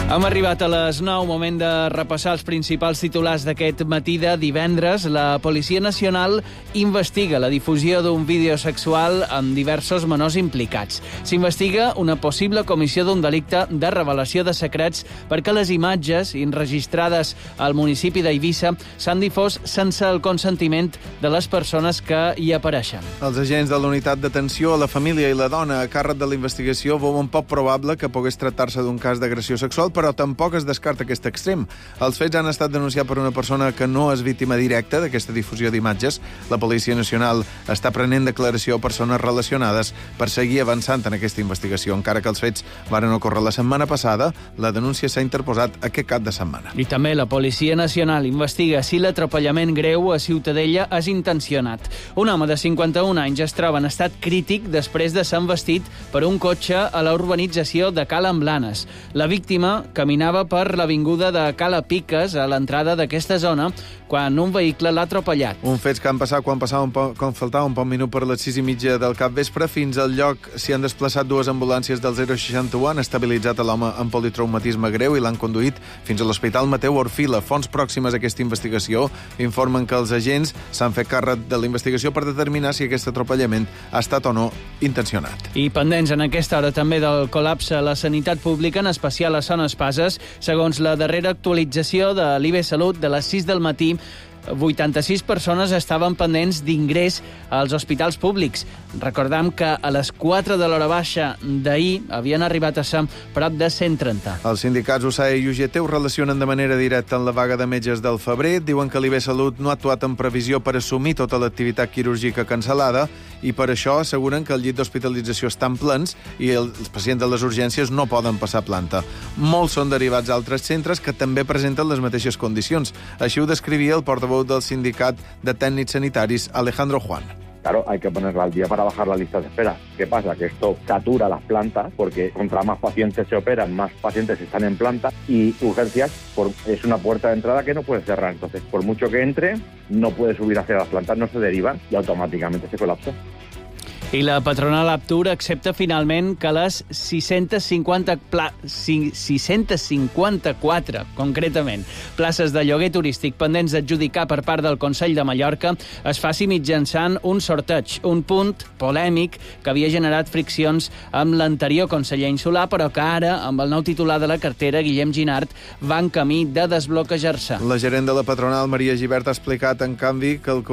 Hem arribat a les 9, moment de repassar els principals titulars d'aquest matí de divendres. La Policia Nacional investiga la difusió d'un vídeo sexual amb diversos menors implicats. S'investiga una possible comissió d'un delicte de revelació de secrets perquè les imatges enregistrades al municipi d'Eivissa s'han difós sense el consentiment de les persones que hi apareixen. Els agents de la unitat d'atenció a la família i la dona a càrrec de la investigació veuen poc probable que pogués tractar-se d'un cas d'agressió sexual, però tampoc es descarta aquest extrem. Els fets han estat denunciats per una persona que no és víctima directa d'aquesta difusió d'imatges. La Policia Nacional està prenent declaració a persones relacionades per seguir avançant en aquesta investigació. Encara que els fets varen ocórrer la setmana passada, la denúncia s'ha interposat aquest cap de setmana. I també la Policia Nacional investiga si l'atropellament greu a Ciutadella és intencionat. Un home de 51 anys es troba en estat crític després de ser embestit per un cotxe a la urbanització de Cala Blanes. La víctima caminava per l'avinguda de Cala Piques a l'entrada d'aquesta zona quan un vehicle l'ha atropellat. Un fets que han passat quan faltava un poc minut per les 6:30 del capvespre. Fins al lloc s'hi han desplaçat dues ambulàncies del 061, han estabilitzat l'home amb politraumatisme greu i l'han conduït fins a l'Hospital Mateu Orfila. Fonts pròximes a aquesta investigació informen que els agents s'han fet càrrec de la investigació per determinar si aquest atropellament ha estat o no intencionat. I pendents en aquesta hora també del col·lapse a la sanitat pública, en especial a Son Espases. Segons la darrera actualització de l'IB Salut de les 6 del matí, 86 persones estaven pendents d'ingrés als hospitals públics. Recordam que a les 4 de l'hora baixa d'ahir havien arribat a ser prop de 130. Els sindicats USAE i UGT ho relacionen de manera directa amb la vaga de metges del febrer. Diuen que l'IB Salut no ha actuat en previsió per assumir tota l'activitat quirúrgica cancel·lada i per això asseguren que el llit d'hospitalització estan plens i els pacients de les urgències no poden passar planta. Molts són derivats a altres centres que també presenten les mateixes condicions. Així ho descrivia el portaveu del sindicat de tècnics sanitaris, Alejandro Juan. Claro, hay que ponerla al día para bajar la lista de espera. ¿Qué pasa? Que esto satura las plantas porque contra más pacientes se operan, más pacientes están en planta y urgencias es una puerta de entrada que no puede cerrar. Entonces, por mucho que entre, no puede subir hacia las plantas, no se derivan y automáticamente se colapsa. I la patronal Aptur accepta finalment que les 654, concretament, places de lloguer turístic pendents d'adjudicar per part del Consell de Mallorca es faci mitjançant un sorteig, un punt polèmic que havia generat friccions amb l'anterior conseller insular, però que ara, amb el nou titular de la cartera, Guillem Ginart, va en camí de desbloquejar-se. La gerent de la patronal, Maria Gibert, ha explicat, en canvi, que el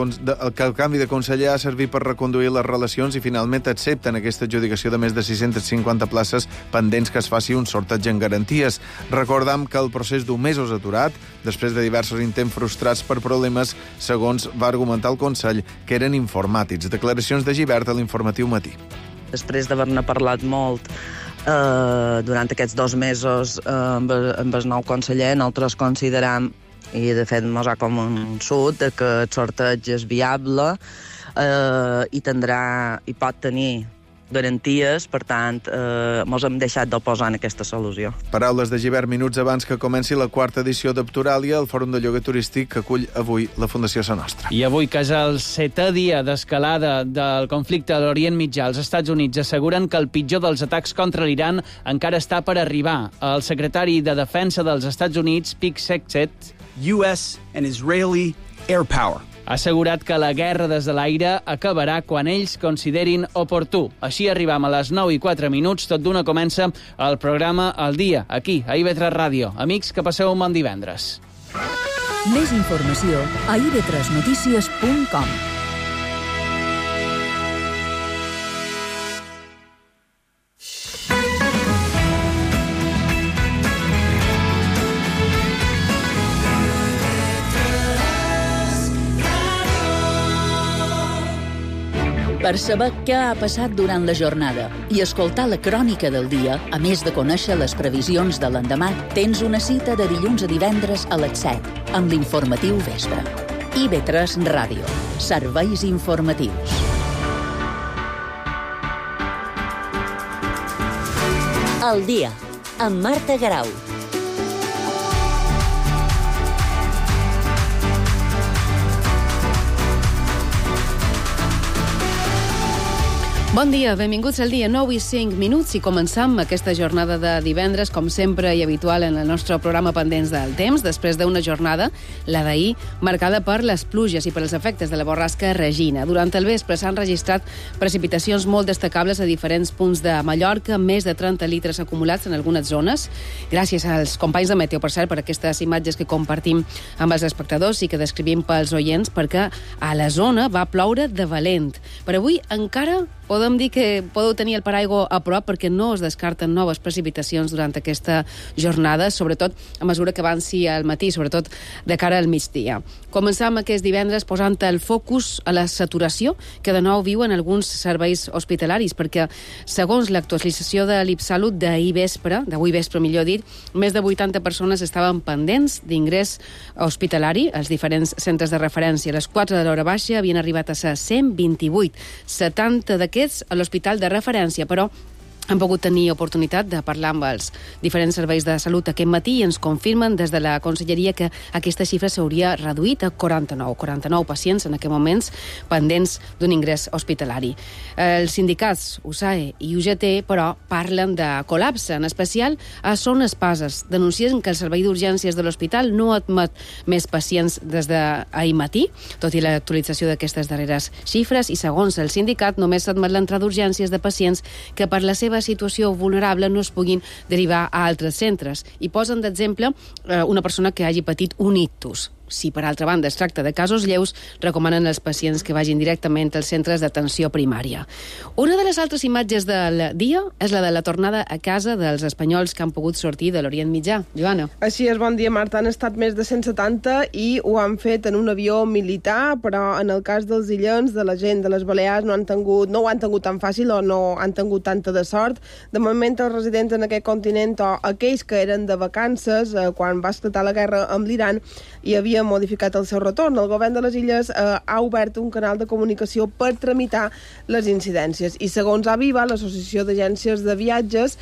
canvi de conseller ha servit per reconduir les relacions i finalment accepten aquesta adjudicació de més de 650 places pendents que es faci un sorteig en garanties. Recordam que el procés d'un mes és aturat després de diversos intents frustrats per problemes, segons va argumentar el Consell, que eren informàtics. Declaracions de Gibert a l'Informatiu Matí. Després d'haver-ne parlat molt durant aquests 2 mesos amb el nou conseller, nosaltres consideram, i de fet mos ha convençut, que el sorteig és viable i pot tenir garanties, per tant, mos hem deixat d'oposar en aquesta solució. Paraules de Gibert minuts abans que comenci la 4ª edició d'Apturàlia, el Fòrum de Lloguer Turístic que acull avui la Fundació Sa Nostra. I avui, que és el 7è dia d'escalada del conflicte a l'Orient Mitjà, els Estats Units asseguren que el pitjor dels atacs contra l'Iran encara està per arribar. El secretari de Defensa dels Estats Units, Pete Hegseth, U.S. and Israeli air power. Ha assegurat que la guerra des de l'aire acabarà quan ells considerin oportú. Així arribam a les 9:04. Tot d'una comença el programa El Dia, aquí, a IB3 Ràdio. Amics, que passeu un bon divendres. Més informació a ib3notícies.com. Per saber què ha passat durant la jornada i escoltar la crònica del dia, a més de conèixer les previsions de l'endemà, tens una cita de dilluns a divendres a les 7, amb l'informatiu vespre. IB3 Ràdio. Serveis informatius. El Dia, amb Marta Garau. Bon dia, benvinguts al dia 9 i 5 minuts i començam aquesta jornada de divendres, com sempre i habitual en el nostre programa Pendents del Temps, després d'una jornada, la d'ahir, marcada per les pluges i per els efectes de la borrasca Regina. Durant el vespre s'han registrat precipitacions molt destacables a diferents punts de Mallorca, més de 30 litres acumulats en algunes zones. Gràcies als companys de Meteo, per cert, per aquestes imatges que compartim amb els espectadors i que descrivim pels oients, perquè a la zona va ploure de valent. Per avui encara podem dir que podeu tenir el paraigua a prop perquè no es descarten noves precipitacions durant aquesta jornada, sobretot a mesura que avanci al matí, sobretot de cara al migdia. Començam aquest divendres posant el focus a la saturació que de nou viuen alguns serveis hospitalaris, perquè segons l'actualització de l'Ipsalut d'avui vespre, millor dit, més de 80 persones estaven pendents d'ingrés hospitalari als diferents centres de referència. A les 4 de l'hora baixa havien arribat a ser 128, 70 d'aquests a l'hospital de referència, però han pogut tenir oportunitat de parlar amb els diferents serveis de salut aquest matí i ens confirmen des de la Conselleria que aquesta xifra s'hauria reduït a 49 pacients en aquests moments pendents d'un ingrés hospitalari. Els sindicats USAE i UGT, però, parlen de col·lapse, en especial a Son Espases. Denuncien que el servei d'urgències de l'hospital no admet més pacients des d'ahir matí, tot i l'actualització d'aquestes darreres xifres, i segons el sindicat només s'admet l'entrada d'urgències de pacients que per la seva situació vulnerable no es puguin derivar a altres centres. I posen d'exemple una persona que hagi patit un ictus. Si, per altra banda, es tracta de casos lleus, recomanen als pacients que vagin directament als centres d'atenció primària. Una de les altres imatges del dia és la de la tornada a casa dels espanyols que han pogut sortir de l'Orient Mitjà. Joana. Així és, bon dia, Marta. Han estat més de 170 i ho han fet en un avió militar, però en el cas dels illencs, de la gent de les Balears, no ho han tingut tan fàcil o no han tingut tanta de sort. De moment, els residents en aquest continent o aquells que eren de vacances quan va esclatar la guerra amb l'Iran i havia modificat el seu retorn. El govern de les Illes ha obert un canal de comunicació per tramitar les incidències. I segons Aviva, l'Associació d'Agències de Viatges,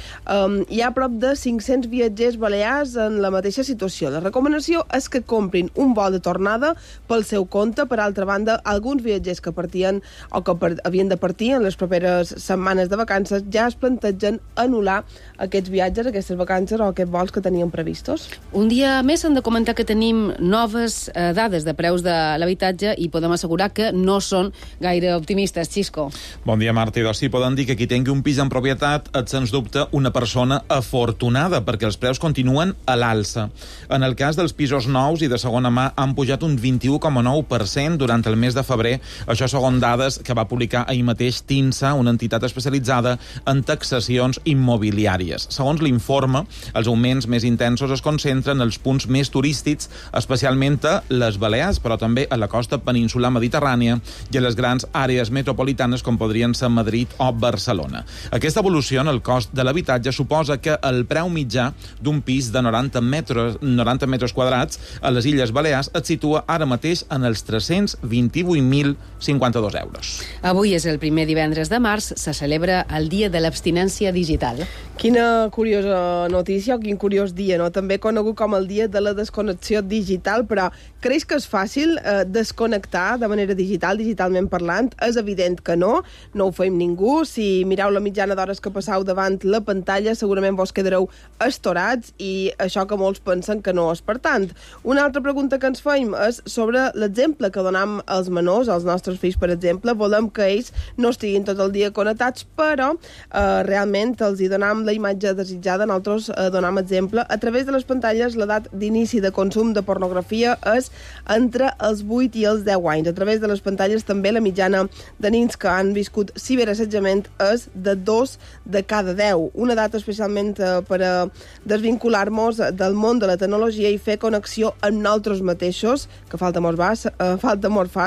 hi ha prop de 500 viatgers balears en la mateixa situació. La recomanació és que comprin un vol de tornada pel seu compte. Per altra banda, alguns viatgers que partien o que havien de partir en les properes setmanes de vacances ja es plantegen anul·lar aquests viatges, aquestes vacances o aquests vols que tenien previstos. Un dia més hem de comentar que tenim noves dades de preus de l'habitatge i podem assegurar que no són gaire optimistes. Xisco. Bon dia, Marta. I sí, poden dir que qui tingui un pis en propietat és, sens dubte, una persona afortunada, perquè els preus continuen a l'alça. En el cas dels pisos nous i de segona mà han pujat un 21,9% durant el mes de febrer, això segons dades que va publicar ahir mateix TINSA, una entitat especialitzada en taxacions immobiliàries. Segons l'informe, els augments més intensos es concentren en els punts més turístics, especialment a les Balears, però també a la costa peninsular mediterrània i a les grans àrees metropolitanes com podrien ser Madrid o Barcelona. Aquesta evolució en el cost de l'habitatge suposa que el preu mitjà d'un pis de 90 metres quadrats a les Illes Balears es situa ara mateix en els 328.052 euros. Avui és el primer divendres de març, se celebra el Dia de l'Abstinència Digital. Quina curiosa notícia o quin curiós dia, no? També conegut com el Dia de la Desconnexió Digital, però creix que és fàcil desconnectar de manera digitalment parlant? És evident que no ho fem ningú. Si mireu la mitjana d'hores que passeu davant la pantalla, segurament vos quedareu estorats i això que molts pensen que no és per tant. Una altra pregunta que ens fem és sobre l'exemple que donam als menors, als nostres fills, per exemple. Volem que ells no estiguin tot el dia connectats, però realment els hi donam la imatge desitjada. Nosaltres donam exemple. A través de les pantalles, l'edat d'inici de consum de pornografia és entre els 8 i els 10 anys. A través de les pantalles també la mitjana de nens que han viscut ciberassetjament és de 2 de cada 10. Una edat especialment per a desvincular-nos del món de la tecnologia i fer connexió amb nosaltres mateixos, que falta molt fa,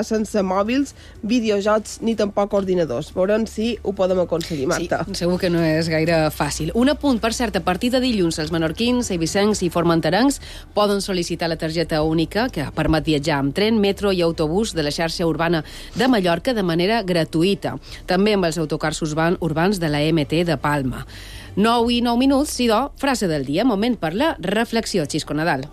sense mòbils, videojocs ni tampoc ordinadors. Veurem si ho podem aconseguir, Marta. Sí, segur que no és gaire fàcil. Un apunt, per cert, a partir de dilluns els menorquins, eivissencs i formenterencs poden sol·licitar la targeta única elèctrica que permet viatjar amb tren, metro i autobús de la xarxa urbana de Mallorca de manera gratuïta. També amb els autocars urbans de la MT de Palma. 9 i 9 minuts, Sidó, frase del dia, moment per la reflexió, Xisco Nadal.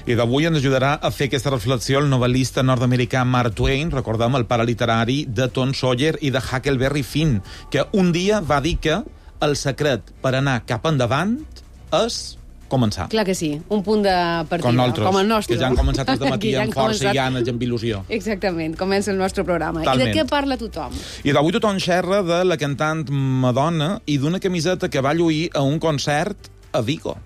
I d'avui ens ajudarà a fer aquesta reflexió el novel·lista nord-americà Mark Twain, recordem el pare literari de Tom Sawyer i de Huckleberry Finn, que un dia va dir que el secret per anar cap endavant és començar. Clar que sí, un punt de partida, com el nostre. Que ja han començat els dematí amb força i ganes i amb il·lusió. Exactament, comença el nostre programa. Talment. I de què parla tothom? I d'avui tothom xerra de la cantant Madonna i d'una camiseta que va lluir a un concert a Vigo.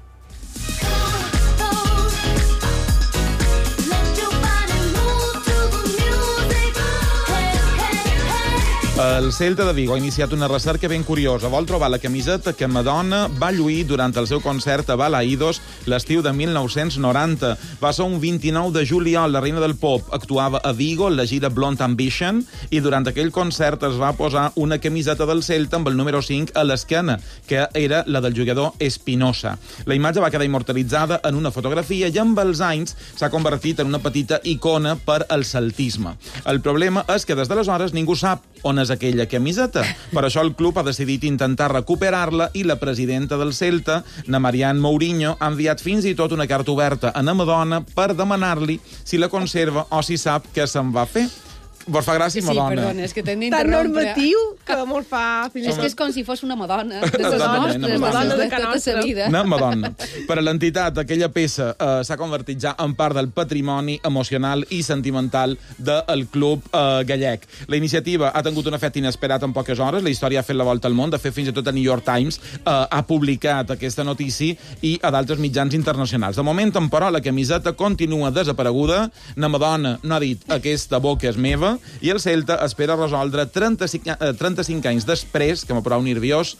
El Celta de Vigo ha iniciat una recerca ben curiosa. Vol trobar la camiseta que Madonna va lluir durant el seu concert a Balaïdos l'estiu de 1990. Va ser un 29 de juliol. La reina del pop actuava a Vigo en la gira Blonde Ambition i durant aquell concert es va posar una camiseta del Celta amb el número 5 a l'esquena, que era la del jugador Espinosa. La imatge va quedar immortalitzada en una fotografia i amb els anys s'ha convertit en una petita icona per al celtisme. El problema és que des d'aleshores ningú sap on és aquella camiseta. Per això el club ha decidit intentar recuperar-la i la presidenta del Celta, na Marianne Mourinho, ha enviat fins i tot una carta oberta a na Madonna per demanar-li si la conserva o si sap què se'n va fer. Vos fa gràcia, Madonna? Sí, perdona, és que t'hem Tan d'interrompre. normatiu que molt fa... És que és com si fos una Madonna, de les Exactament, nostres, una Madonna. de tota la vida. Una Madonna. Per a l'entitat, aquella peça s'ha convertit ja en part del patrimoni emocional i sentimental del club gallec. La iniciativa ha tingut un efecte inesperat en poques hores, la història ha fet la volta al món, de fet fins i tot el New York Times ha publicat aquesta notícia i a d'altres mitjans internacionals. De moment, però, la camiseta continua desapareguda, na Madonna no ha dit aquesta boca és meva, i el Celta espera resoldre 35 anys després, que m'ha prou nerviós,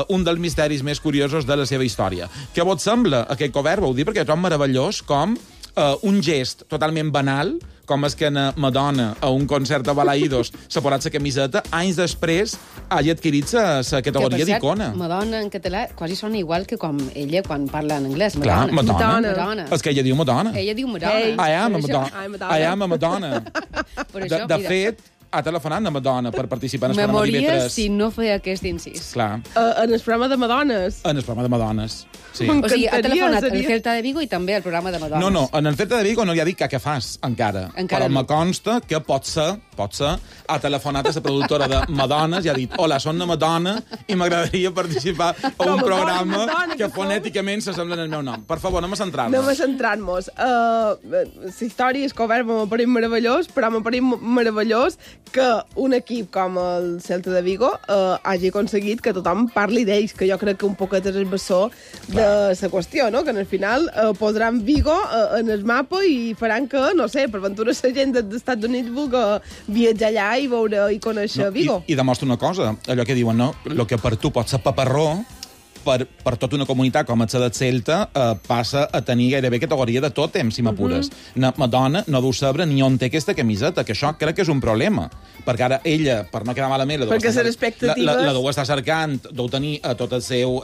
un dels misteris més curiosos de la seva història. Què vos sembla aquest cobert? Vau dir, perquè trobo meravellós com un gest totalment banal, com és que Madonna, a un concert a Balaïdos, s'ha posat la camiseta, anys després hagi adquirit la categoria d'icona. Madonna en català quasi sona igual que com ella quan parla en anglès. Clar, Madonna. Madonna. És que ella diu Madonna. Ella diu Madonna. Hey, I am a Madonna. De fet, ha telefonat a Madonna per participar en el programa Memoria d'IV3. si no feia aquest incís. Clar. En el programa de Madones. En el programa de Madones. Sí. O sigui, ha telefonat al Celta de Vigo i també al programa de Madones. No, en el Celta de Vigo no li ha dit que fas, encara. Però me consta que pot ser, ha telefonat a la productora de Madones i ha dit, hola, són una Madonna i m'agradaria participar a un programa que fonèticament s'assemblen al meu nom. Per favor, anem a centrar-nos. Anem a centrar-nos. La història és que m'ha parit meravellós, però m'ha parit meravellós que un equip com el Celta de Vigo hagi aconseguit que tothom parli d'ells, que jo crec que un poquet és el bessó de la qüestió, no? Que al final posaran Vigo en el mapa i faran que, no sé, per ventura la gent dels Estats Units vulgui viatjar allà i veure i conèixer Vigo. I demostra una cosa, allò que diuen, no? El que per tu pot ser paparró, per tota una comunitat com el del Celta passa a tenir gairebé categoria de tòtem, si m'apures. Madonna no deu saber ni on té aquesta camiseta, que això crec que és un problema. Perquè ara ella, per no quedar malament, la deu estar cercant, deu tenir tot el seu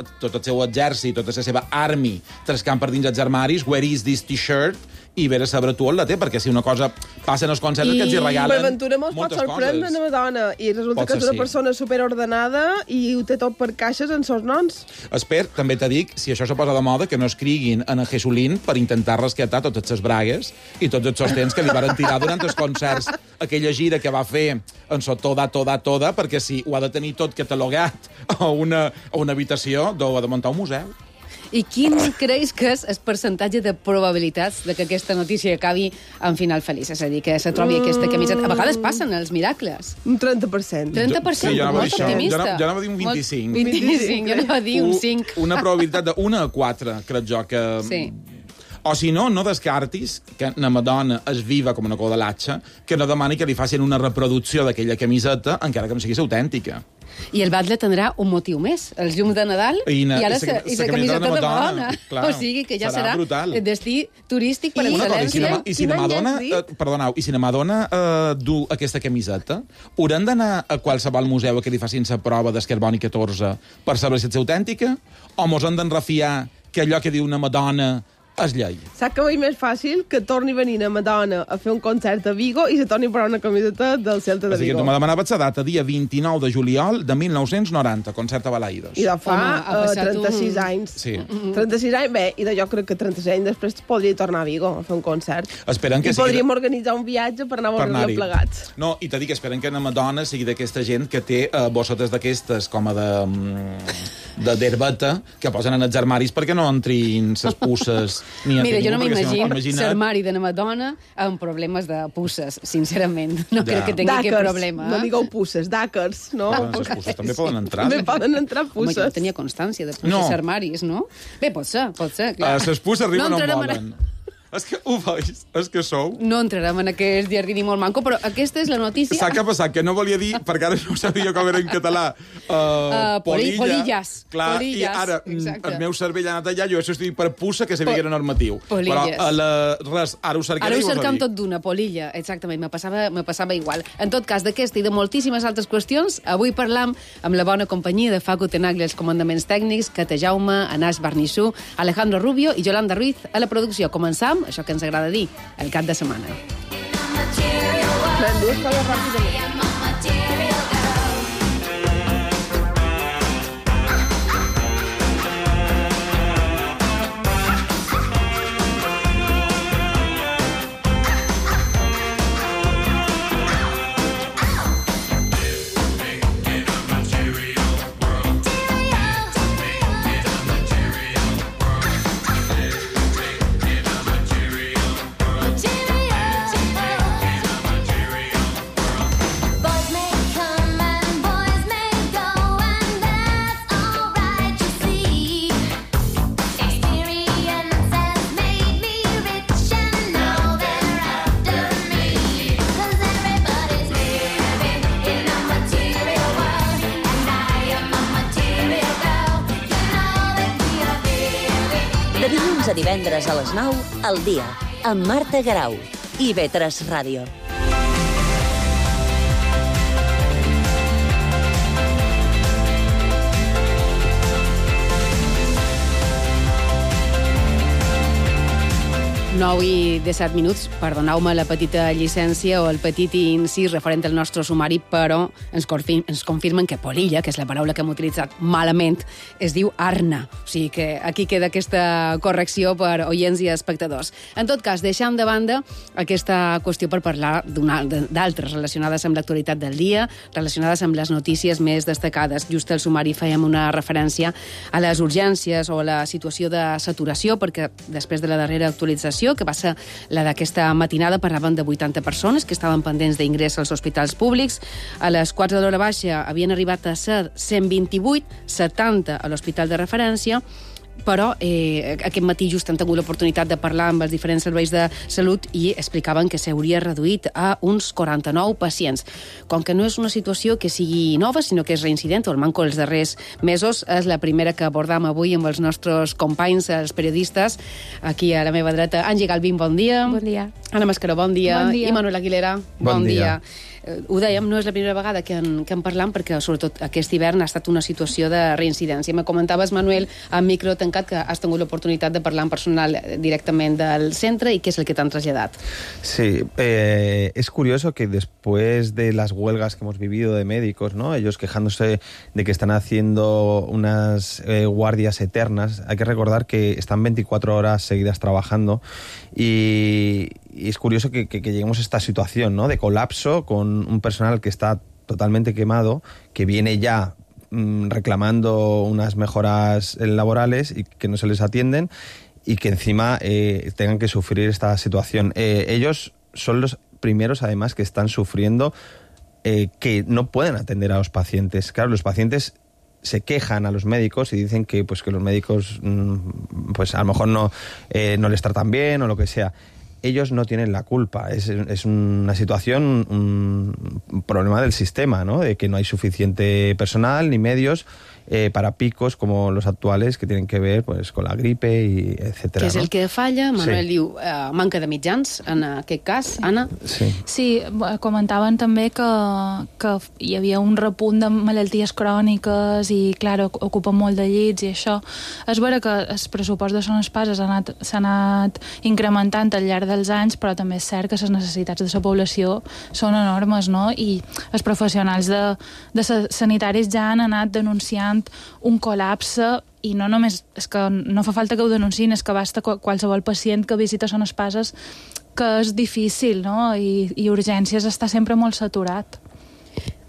exèrcit, tota la seva army, trascant per dins els armaris, where is this t-shirt? I ver a saber tu on la té, perquè si una cosa passa en els concerts que ens hi regalen per ventura molts pot sorprendre una Madonna i resulta que és una persona superordenada i ho té tot per caixes en seus noms. Espero, també t'he dit, si això se posa de moda, que no escriguin en Jesulín per intentar rescatar totes les bragues i tots els sostens que li van tirar durant els concerts. Aquella gira que va fer en so toda, perquè si ho ha de tenir tot catalogat a una habitació, ha de muntar un museu. I quin creus que és el percentatge de probabilitats de que aquesta notícia acabi en final feliç? És a dir, que se trobi aquesta camiseta. A vegades passen els miracles. Un 30%. 30%? Sí, molt optimista. Jo anava a dir un 25. 25, jo anava a dir un 5. Una probabilitat de 1 a 4, crec jo, que... Sí. O si no, no descartis que la Madonna és viva com una codalatxa, que no demani que li facin una reproducció d'aquella camiseta, encara que no sigui autèntica. I el Batlle tindrà un motiu més, els llums de Nadal i ara la camiseta de Madonna. Clar, o sigui que ja serà el destí turístic per excel·lència. I si la Madonna du aquesta camiseta, hauran d'anar a qualsevol museu que li facin la prova d'Escarboni 14 per saber si és autèntica? O mos han d'enrefiar que allò que diu una Madonna és llei. Saps que veig més fàcil que torni a venir a Madonna a fer un concert a Vigo i se torni a posar una camiseta del Celta de Vigo. Tu me demanaves la data, dia 29 de juliol de 1990, concert a Balaïdos. I de fa 36 anys. Sí. 36 anys, bé, i de jo crec que 36 anys després podria tornar a Vigo a fer un concert. Esperen que I podríem organitzar un viatge per anar a veure-la plegats. No, i t'he dit que esperen que la Madonna sigui d'aquesta gent que té bossetes d'aquestes com a d'herbeta que posen en els armaris perquè no entrin ses pusses ni Mira, jo no m'imagino l'armari de la Madonna amb problemes de pusses, sincerament. No crec que tingui aquest problema. No digueu pusses, d'àcars, no? Les pusses també poden entrar. També poden entrar pusses. Home, jo tenia constància de pusses armaris, no? Bé, pot ser, clar. Les pusses arriben on volen. És que ho veig, és que sou... No entrarem en aquest jardí molt manco, però aquesta és la notícia... Saps què ha passat? Que no volia dir, perquè ara no sabia com era en català. Polilles. Clar, polilles, i ara el meu cervell ha anat allà, jo he substituït per pussa, que sabia que era normatiu. Polilles. Però ara ho cercaré. Ara ho cercam tot d'una, polilla, exactament, me passava igual. En tot cas, d'aquesta i de moltíssimes altres qüestions, avui parlam amb la bona companyia de Facu Tenaglia, els comandaments tècnics, Cata Jaume, Anas Barnissú, Alejandro Rubio i Yolanda Ruiz a la producció. Començam això que ens agrada dir, el cap de setmana. De dilluns a divendres a les 9, al dia, amb Marta Garau i IB3 Ràdio. Nou i 17 minuts, perdoneu-me la petita llicència o el petit incís referent al nostre sumari, però ens confirmen que polilla, que és la paraula que hem utilitzat malament, es diu arna. O sigui que aquí queda aquesta correcció per oients i espectadors. En tot cas, deixant de banda aquesta qüestió per parlar d'altres relacionades amb l'actualitat del dia, relacionades amb les notícies més destacades. Just al sumari fèiem una referència a les urgències o a la situació de saturació, perquè després de la darrera actualització, que va ser la d'aquesta matinada, parlaven de 80 persones que estaven pendents d'ingrés als hospitals públics. A les 4 de l'hora baixa havien arribat a ser 128, 70 a l'hospital de referència, però aquest matí just han tingut l'oportunitat de parlar amb els diferents serveis de salut i explicaven que s'hauria reduït a uns 49 pacients. Com que no és una situació que sigui nova, sinó que és reincident, o el manco els darrers mesos, és la primera que abordam avui amb els nostres companys, els periodistes. Aquí a la meva dreta, Angie Galvín, bon dia. Bon dia. Anna Mascaró, bon dia. Bon dia. I Manuel Aguilera, bon dia. Ho dèiem, no és la primera vegada que en parlam, perquè sobretot aquest hivern ha estat una situació de reincidència. Me comentaves, Manuel, amb micro tancat, que has tingut l'oportunitat de parlar amb personal directament del centre i què és el que t'han traslladat. Sí, es curioso que después de las huelgas que hemos vivido de médicos, ¿no? Ellos quejándose de que están haciendo unas guardias eternas, hay que recordar que están 24 horas seguidas trabajando y es curioso que lleguemos a esta situación, ¿no? De colapso con un personal que está totalmente quemado, que viene ya reclamando unas mejoras laborales y que no se les atienden y que encima tengan que sufrir esta situación. Ellos son los primeros, además, que están sufriendo que no pueden atender a los pacientes. Claro, los pacientes se quejan a los médicos y dicen que los médicos pues a lo mejor no les tratan bien o lo que sea. ellos no tienen la culpa. Es una situación, un problema del sistema, ¿no? De que no hay suficiente personal ni medios para picos como los actuales que tienen que ver pues, con la gripe, y etcétera. Que és el que falla. Manuel diu manca de mitjans, en aquest cas. Anna? Sí, comentaven també que hi havia un repunt de malalties cròniques i, clar, ocupen molt de llits i això. És vera que el pressupost de Son Espases s'ha anat incrementant al llarg dels anys, però també és cert que les necessitats de la població són enormes, no? I els professionals de sanitaris ja han anat denunciant un col·lapse, i no només és que no fa falta que ho denunciïn, és que basta qualsevol pacient que visita Son Espases, que és difícil, no? I urgències està sempre molt saturat.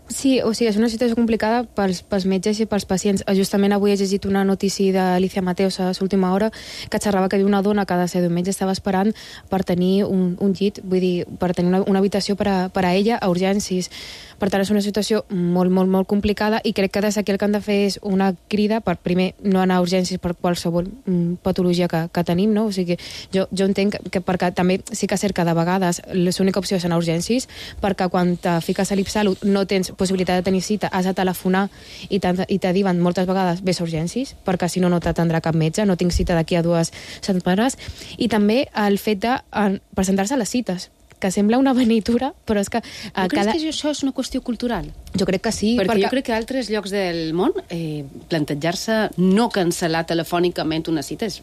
Sí, o sigui, és una situació complicada pels metges i pels pacients. Justament avui he llegit una notícia d'Alicia Mateos a l'última hora que xerrava que havia una dona que ha de ser d'un metge estava esperant per tenir un llit, vull dir, per tenir una habitació per a ella a urgències. Per tant, és una situació molt, molt, molt complicada, i crec que des d'aquí el que han de fer és una crida per, primer, no anar a urgències per qualsevol patologia que tenim, no? O sigui, jo entenc que perquè també sí que és cert que de vegades l'única opció és anar a urgències, perquè quan te fiques a l'Ipsalut no tens possibilitat de tenir cita, has de telefonar i te diuen moltes vegades vés a urgències, perquè si no, no t'atendrà cap metge, no tinc cita d'aquí a 2 setmanes. I també el fet de presentar-se a les cites, que sembla una venitura, però és que... No creus que això és una qüestió cultural? Jo crec que sí. Perquè jo crec que a altres llocs del món plantejar-se no cancel·lar telefònicament una cita és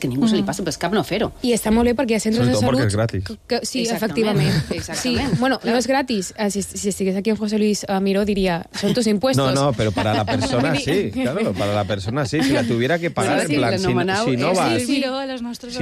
que ningú se li passa pel cap no fer-ho. I està molt bé perquè hi ha centres de salut... perquè és gratis. Sí, efectivament. Sí. Bueno, no es gratis. Si estigués aquí en José Luis Miró diría, son tus impuestos. No, pero para la persona sí, claro, para la persona sí. Si la tuviera que pagar, en plan, si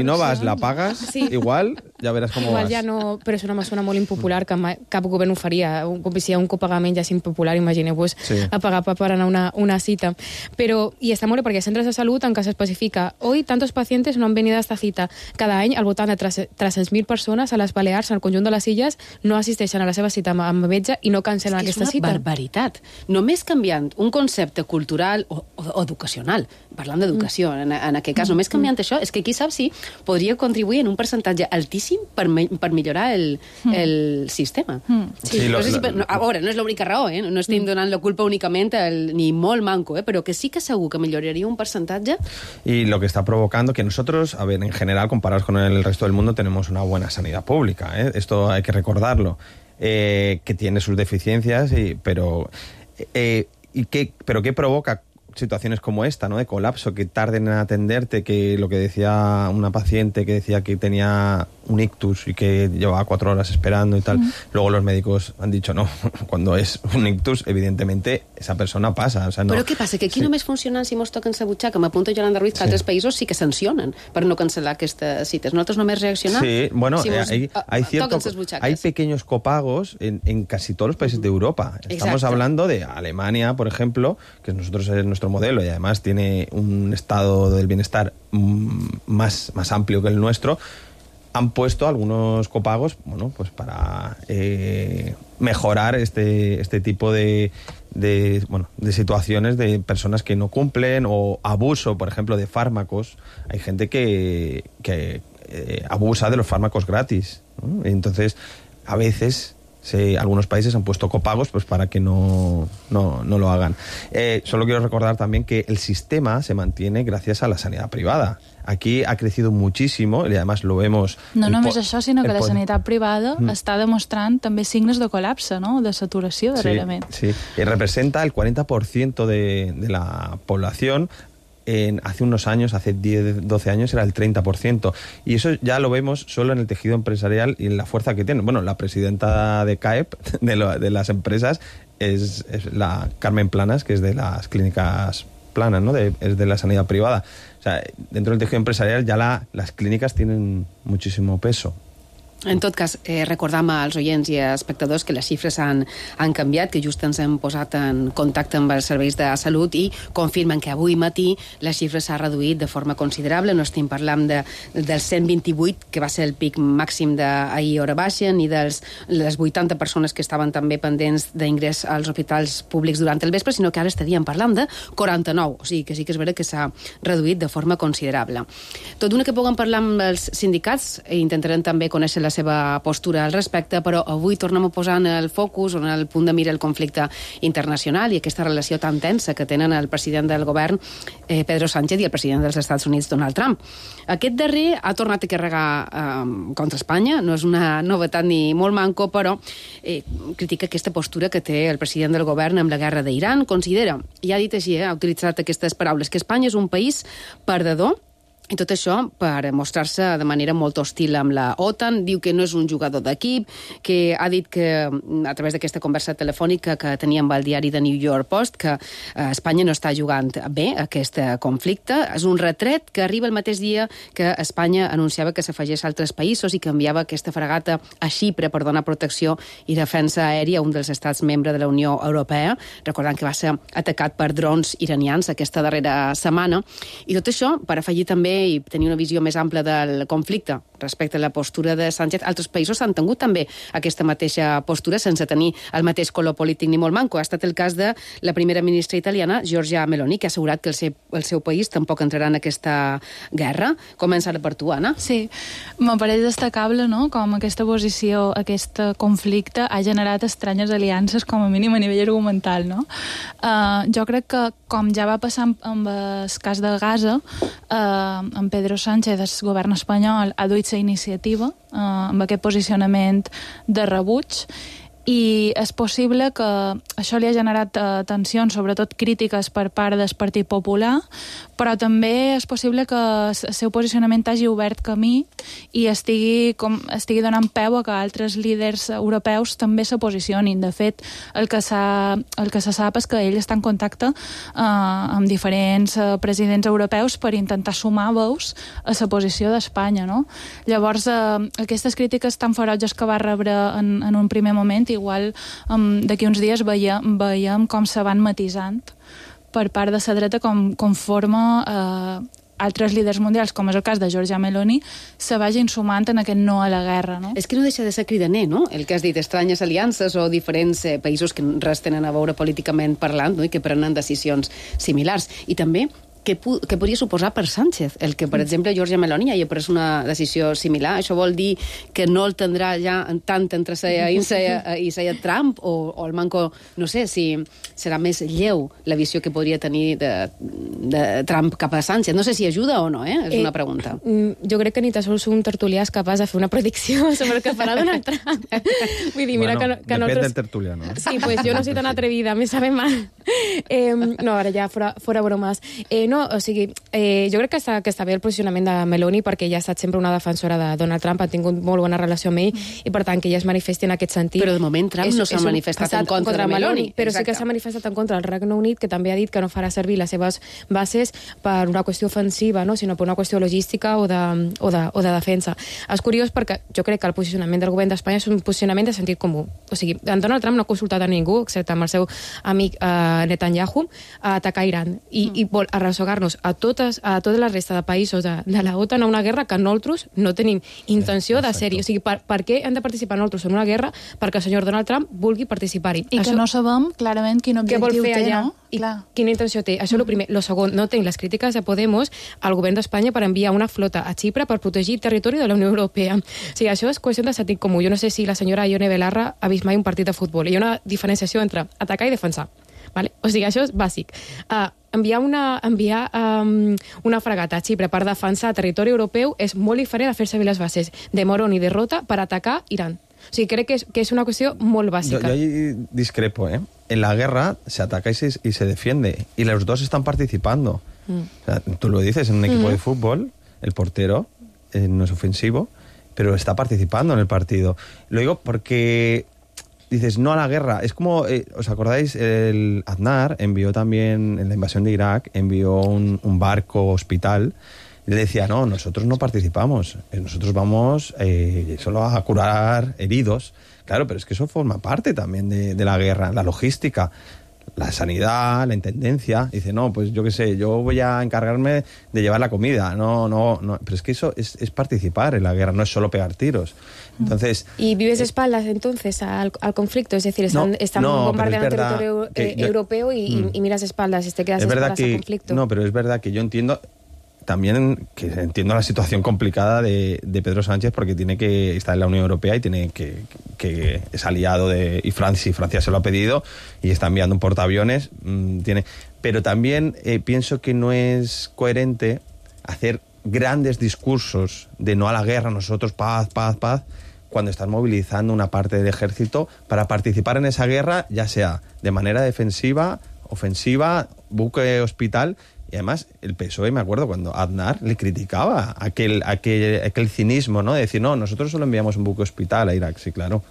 no vas, la pagas, igual, ja veràs com igual vas. Ja no, però és una mesura molt impopular que cap govern ho faria. Si hi ha un copagament ja és impopular, imagineu-vos a pagar per anar a una cita. Però, i està molt bé perquè hi ha centres de salut en què s'especifica hoy tantos pacientes no han venido a esta cita. Cada any al voltant de 300.000 persones a les Balears, al conjunt de les illes, no assisteixen a la seva cita amb metge i no cancel·len aquesta cita. És una barbaritat. Només canviant un concepte cultural o educacional, parlant d'educació, en aquest cas, només canviant això, és que qui sap si podria contribuir en un percentatge altíssim per millorar el sistema. A veure, no és l'única raó, no estem donant la culpa únicament ni molt manco, però que sí que segur que milloraria un percentatge. Y lo que está provocando que nosotros, a ver, en general, comparados con el resto del mundo, tenemos una buena sanidad pública, esto hay que recordarlo, que tiene sus deficiencias, pero ¿qué provoca situaciones como esta, ¿no? De colapso, que tarden en atenderte, que lo que decía una paciente que decía que tenía un ictus y que llevaba 4 horas esperando y tal. Luego los médicos han dicho no, cuando es un ictus, evidentemente esa persona pasa. O sea, no. Però què passa? Que aquí només funcionen si mos toquen la butxaca. M'apunto Yolanda Ruiz que altres països sí que sancionen per no cancel·lar aquestes cites. Nosaltres només reaccionar sí, bueno, si hay pequeños copagos en casi todos los países de Europa. Estamos hablando de Alemania, por ejemplo, que nosotros es nuestro modelo y además tiene un estado del bienestar más amplio que el nuestro. Han puesto algunos copagos, bueno, pues para mejorar este tipo de situaciones de personas que no cumplen, o abuso, por ejemplo, de fármacos. Hay gente que abusa de los fármacos gratis, ¿no? Entonces, a veces algunos países han puesto copagos pues para que no lo hagan. Solo quiero recordar también que el sistema se mantiene gracias a la sanidad privada. Aquí ha crecido muchísimo y además lo vemos... No només això, sinó que la sanitat privada està demostrant també signes de col·lapse, no? De saturació darrerament. Sí. Y representa el 40% de la población. Hace unos años, hace 10, 12 años, era el 30%. Y eso ya lo vemos solo en el tejido empresarial y en la fuerza que tienen. Bueno, la presidenta de CAEP, de las empresas, es la Carmen Planas, que es de las clínicas Planas, ¿no? Es de la sanidad privada. O sea, dentro del tejido empresarial ya las clínicas tienen muchísimo peso. En tot cas, recordam als oients i espectadors que les xifres han canviat, que just ens hem posat en contacte amb els serveis de salut i confirmen que avui matí les xifres s'ha reduït de forma considerable. No estem parlant dels 128, que va ser el pic màxim d'ahir hora baixa, ni de les 80 persones que estaven també pendents d'ingrés als hospitals públics durant el vespre, sinó que ara estaríem parlant de 49. O sigui que sí que és vera que s'ha reduït de forma considerable. Tot d'una que puguem parlar amb els sindicats, intentarem també conèixer la seva postura al respecte, però avui tornem a posar en el focus, en el punt de mira el conflicte internacional i aquesta relació tan tensa que tenen el president del govern, Pedro Sánchez, i el president dels Estats Units, Donald Trump. Aquest darrer ha tornat a carregar contra Espanya, no és una novetat ni molt manco, però critica aquesta postura que té el president del govern amb la guerra d'Iran. Considera, i ha dit així, ha utilitzat aquestes paraules, que Espanya és un país perdedor, i tot això per mostrar-se de manera molt hostil amb la OTAN. Diu que no és un jugador d'equip, que ha dit que, a través d'aquesta conversa telefònica que tenia amb el diari de New York Post, que Espanya no està jugant bé aquest conflicte. És un retret que arriba el mateix dia que Espanya anunciava que s'afegeix a altres països i que enviava aquesta fragata a Xipre per donar protecció i defensa aèria a un dels estats membres de la Unió Europea, recordant que va ser atacat per drons iranians aquesta darrera setmana. I tot això per afegir també i tenir una visió més ampla del conflicte respecte a la postura de Sánchez. Altres països han tingut també aquesta mateixa postura sense tenir el mateix color polític ni molt manco. Ha estat el cas de la primera ministra italiana, Giorgia Meloni, que ha assegurat que el seu país tampoc entrarà en aquesta guerra. Comença per tu, Anna. Sí, me pareix destacable, no?, com aquesta posició, aquest conflicte ha generat estranyes aliances, com a mínim a nivell argumental, no? Jo crec que, com ja va passar amb el cas de Gaza, en Pedro Sánchez, el govern espanyol, ha duit la iniciativa amb aquest posicionament de rebuig, i és possible que això li ha generat tensions, sobretot crítiques per part del Partit Popular, però també és possible que el seu posicionament hagi obert camí i estigui donant peu a que altres líders europeus també se posicionin. De fet, el que se sap és que ell està en contacte amb diferents presidents europeus per intentar sumar veus a la posició d'Espanya, no? Llavors, aquestes crítiques tan ferotges que va rebre en un primer moment, igual d'aquí uns dies veiem com se van matisant per part de la dreta conforme altres líders mundials, com és el cas de Giorgia Meloni, se vagin sumant en aquest no a la guerra, no? És que no deixa de ser cridaner, no?, el que has dit, estranyes aliances o diferents països que res tenen a veure políticament parlant, no?, i que prenen decisions similars. I també què podria suposar per Sánchez el que, per exemple, Giorgia Meloni hagi pres una decisió similar? Això vol dir que no el tindrà ja tant entre i Trump, o el manco, no sé, si serà més lleu la visió que podria tenir de Trump cap a Sánchez. No sé si ajuda o no, és una pregunta. Jo crec que ni tan sols un tertulià és capaç de fer una predicció sobre el que farà Donald Trump. Vull dir, mira que depèn del tertulià, no? Sí, pues jo no soy tan atrevida, me sabe mal. No, ara ja, fora bromes. No, o sigui, jo crec que està bé el posicionament de Meloni, perquè ella ha estat sempre una defensora de Donald Trump, ha tingut molt bona relació amb ell, i per tant que ella es manifesti en aquest sentit. Però de moment Trump no s'ha manifestat en contra de Meloni. Però sí que s'ha manifestat en contra del Regne Unit, que també ha dit que no farà servir les seves bases per una qüestió ofensiva, no?, sinó per una qüestió logística o de defensa. És curiós perquè jo crec que el posicionament del govern d'Espanya és un posicionament de sentit comú. O sigui, en Donald Trump no ha consultat a ningú, excepte amb el seu amic Netanyahu, a atacar Iran, i vol arrossegar-nos a tota la resta de països de la OTAN a una guerra que nosaltres no tenim intenció de ser-hi. O sigui, per què hem de participar nosaltres en una guerra perquè el senyor Donald Trump vulgui participar-hi? I que no sabem clarament quin objectiu té, no? I quina intenció té. Això és el primer. Lo segon, no tenc les crítiques de Podemos al govern d'Espanya per enviar una flota a Xipre per protegir el territori de la Unió Europea. O sigui, això és qüestió de sentit comú. Jo no sé si la senyora Ione Belarra ha vist mai un partit de futbol. Hi ha una diferenciació entre atacar i defensar. Vale? O sigui, això és bàsic. Enviar una fragata a Xipre per defensar territori europeu és molt diferent a fer servir les bases de Morón i de Rota per atacar Iran. O sigui, crec que es una cuestión muy básica. Yo ahí discrepo, ¿eh? En la guerra se ataca y se defiende. Y los dos están participando. O sea, tú lo dices, en un equipo de fútbol, el portero no es ofensivo, pero está participando en el partido. Lo digo porque dices no a la guerra. Es como, ¿os acordáis? El Aznar envió también, en la invasión de Irak, envió un barco hospital Y le decía, no, nosotros no participamos, nosotros vamos solo a curar heridos. Claro, pero es que eso forma parte también de la guerra, la logística, la sanidad, la intendencia. Dice, no, pues yo qué sé, yo voy a encargarme de llevar la comida. No, pero es que eso es participar en la guerra, no es solo pegar tiros. Entonces, ¿y vives de espaldas entonces al conflicto? Es decir, están bombardeando el territorio europeo y miras espaldas y te quedas espaldas al conflicto. No, pero es verdad que yo entiendo también que entiendo la situación complicada de Pedro Sánchez, porque tiene que estar en la Unión Europea y tiene que es aliado y Francia se lo ha pedido y está enviando un portaaviones. Pero también pienso que no es coherente hacer grandes discursos de no a la guerra, nosotros paz, cuando estás movilizando una parte del ejército para participar en esa guerra, ya sea de manera defensiva, ofensiva, buque hospital. Y además, el PSOE, me acuerdo, cuando Aznar le criticaba aquel cinismo, ¿no? De decir, no, nosotros solo enviamos un buque hospital a Irak, sí, claro.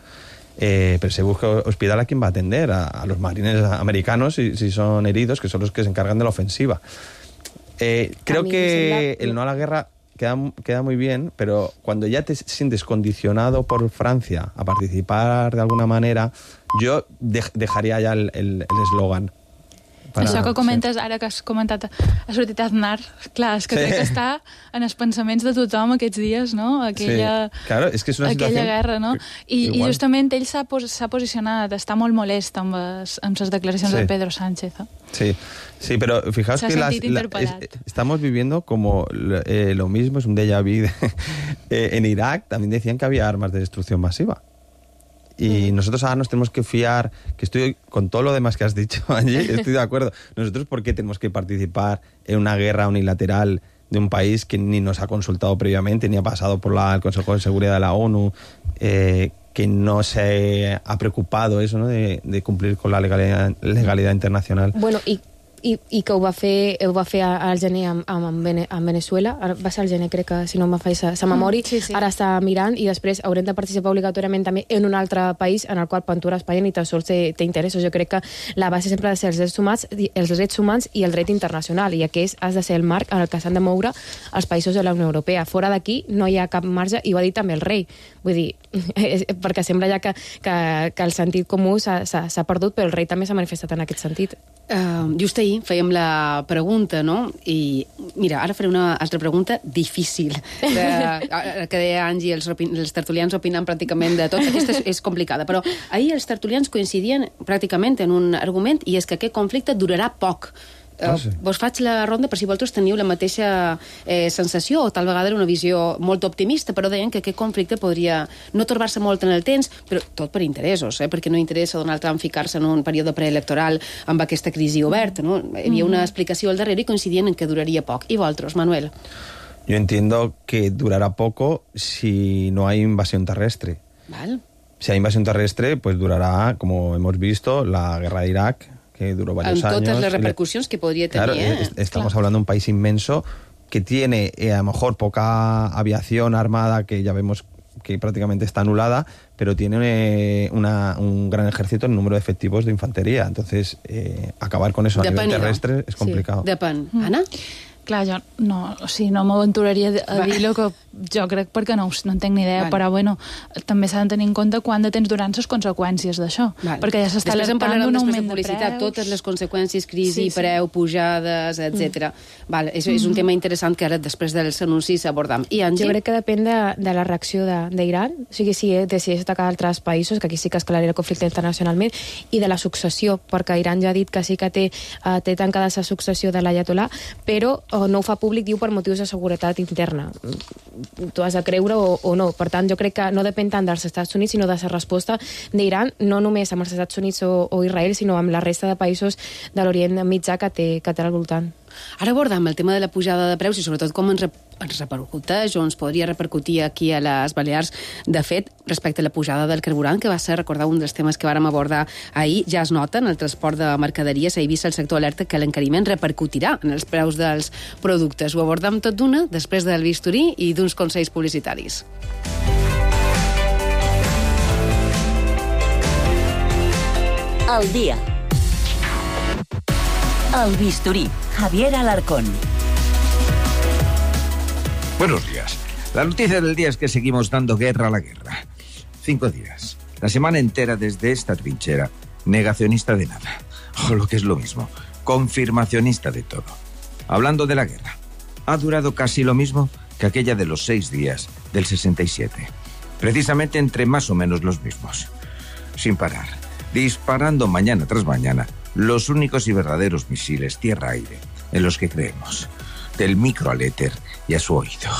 Pero ese buque hospital, ¿a quién va a atender? A los marines americanos, si son heridos, que son los que se encargan de la ofensiva. Creo que el no a la guerra queda muy bien, pero cuando ya te sientes condicionado por Francia a participar de alguna manera, yo dejaria ja el eslogan. Això que comentes, ara que has comentat, ha sortit Aznar, clar, és que crec que està en els pensaments de tothom aquests dies, no? Aquella guerra, no? I justament ell s'ha posicionat, està molt molest amb les declaracions de Pedro Sánchez. Sí, pero fijaos que estamos viviendo como lo mismo, es un déjà vu. En Irak también decían que había armas de destrucción masiva. Y nosotros ahora nos tenemos que fiar, que estoy con todo lo demás que has dicho, Angie, estoy de acuerdo. Nosotros, ¿por qué tenemos que participar en una guerra unilateral de un país que ni nos ha consultado previamente, ni ha pasado por el Consejo de Seguridad de la ONU, que no se ha preocupado eso, ¿no? de cumplir con la legalidad internacional? Bueno, i que ho va fer al gener amb Venezuela, va ser al gener, crec que, si no me faig sa memòria, ara està mirant i després haurem de participar obligatòriament també en un altre país en el qual Ventura Espanya ni tan sols té interessos. Jo crec que la base sempre ha de ser els drets humans i el dret internacional, i aquest has de ser el marc en el que s'han de moure els països de la Unió Europea. Fora d'aquí no hi ha cap marge, i ho ha dit també el rei. Vull dir, perquè sembla ja que el sentit comú s'ha perdut, però el rei també s'ha manifestat en aquest sentit. Just ahir fèiem la pregunta, no? I mira, ara faré una altra pregunta difícil. Que deia Angie, els tertulians opinen pràcticament de tot. Aquesta és complicada, però ahir els tertulians coincidien pràcticament en un argument, i és que aquest conflicte durarà poc. Vos faig la ronda per si vosaltres teniu la mateixa sensació, o tal vegada una visió molt optimista, però deien que aquest conflicte podria no torbar-se molt en el temps, però tot per interessos, perquè no interessa Donald Trump ficar-se en un període preelectoral amb aquesta crisi oberta, no? Hi havia una explicació al darrere i coincidien en que duraria poc. I vosaltres, Manuel? Yo entiendo que durará poco si no hay invasión terrestre. ¿Vale? Si hay invasión terrestre, pues durará, como hemos visto, la guerra de Irak, que duró varios años. En todas las repercusiones que podría tener. Claro, estamos hablando de un país inmenso que tiene a lo mejor poca aviación armada, que ya vemos que prácticamente está anulada, pero tiene un gran ejército en número de efectivos de infantería. Entonces, acabar con eso a nivel terrestre és complicado. Depèn. Anna? Clar, jo no m'aventuraria a dir el que jo crec, perquè no en tinc ni idea, però bueno, també s'ha de tenir en compte quan de temps duran les conseqüències d'això, perquè ja s'està alertant d'un augment de preus. Totes les conseqüències, crisi, preu, pujades, etc. És un tema interessant que ara, després dels anuncis, abordam. I Angie? Jo crec que depèn de la reacció d'Iran, o sigui, si decideix atacar altres països, que aquí sí que escalaria el conflicte internacionalment, i de la successió, perquè Iran ja ha dit que sí que té tancada la successió de l'Ayatollah, però no ho fa públic, diu, per motius de seguretat interna. Tu has de creure o no. Per tant, jo crec que no depèn tant dels Estats Units, sinó de la resposta d'Iran, no només amb els Estats Units o Israel, sinó amb la resta de països de l'Orient Mitjà que té al voltant. Ara abordam el tema de la pujada de preus i sobretot com ens repercuteix o ens podria repercutir aquí a les Balears. De fet, respecte a la pujada del carburant, que va ser, recordar, un dels temes que vàrem abordar ahir, ja es nota en el transport de mercaderies. S'ha vist el sector alerta que l'encariment repercutirà en els preus dels productes. Ho abordam tot d'una després del bisturí i d'uns consells publicitaris. El dia. El bisturí. Javier Alarcón. Buenos días. La noticia del día es que seguimos dando guerra a la guerra. 5 días. La semana entera desde esta trinchera, negacionista de nada. O lo que es lo mismo, confirmacionista de todo. Hablando de la guerra. Ha durado casi lo mismo que aquella de los 6 días del 67. Precisamente entre más o menos los mismos. Sin parar. Disparando mañana tras mañana los únicos y verdaderos misiles tierra-aire en los que creemos. Del micro al éter y a su oído.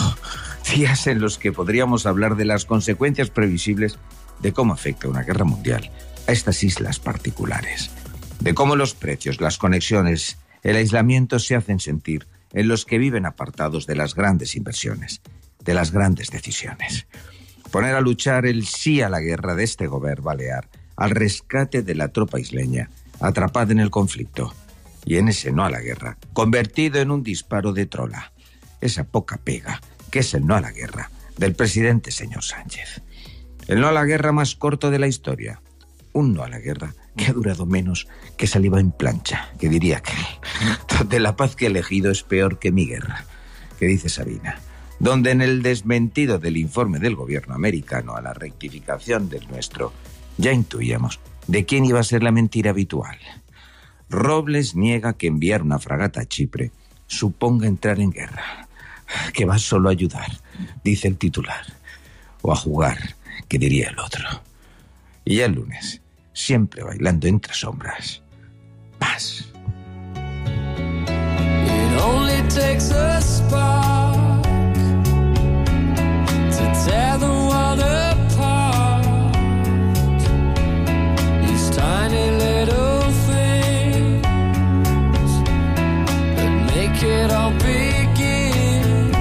Días en los que podríamos hablar de las consecuencias previsibles de cómo afecta una guerra mundial a estas islas particulares. De cómo los precios, las conexiones, el aislamiento se hacen sentir en los que viven apartados de las grandes inversiones, de las grandes decisiones. Poner a luchar el sí a la guerra de este gobierno balear, al rescate de la tropa isleña, atrapada en el conflicto, y en ese no a la guerra, convertido en un disparo de trola. Esa poca pega, que es el no a la guerra, del presidente señor Sánchez. El no a la guerra más corto de la historia. Un no a la guerra que ha durado menos que saliva en plancha, que diría aquel. Donde la paz que he elegido es peor que mi guerra, que dice Sabina. Donde en el desmentido del informe del gobierno americano a la rectificación del nuestro, ya intuíamos de quién iba a ser la mentira habitual. Robles niega que enviar una fragata a Chipre suponga entrar en guerra, que va solo a ayudar, dice el titular, o a jugar, que diría el otro. Y ya el lunes, siempre bailando entre sombras, paz. It only takes a spark to tear the world apart. These tiny little things that make it all begin.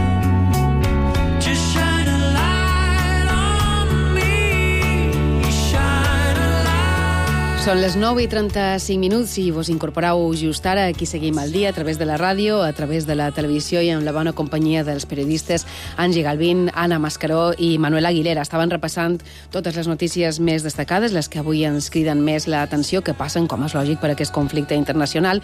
Just shine a light on me, shine a light. Són les 9:35 i vos incorporeu just ara. Aquí seguim al dia a través de la ràdio, a través de la televisió i amb la bona companyia dels periodistes Angie Galvín, Anna Mascaró i Manuel Aguilera. Estaven repassant totes les notícies més destacades, les que avui ens criden més l'atenció, que passen, com és lògic, per aquest conflicte internacional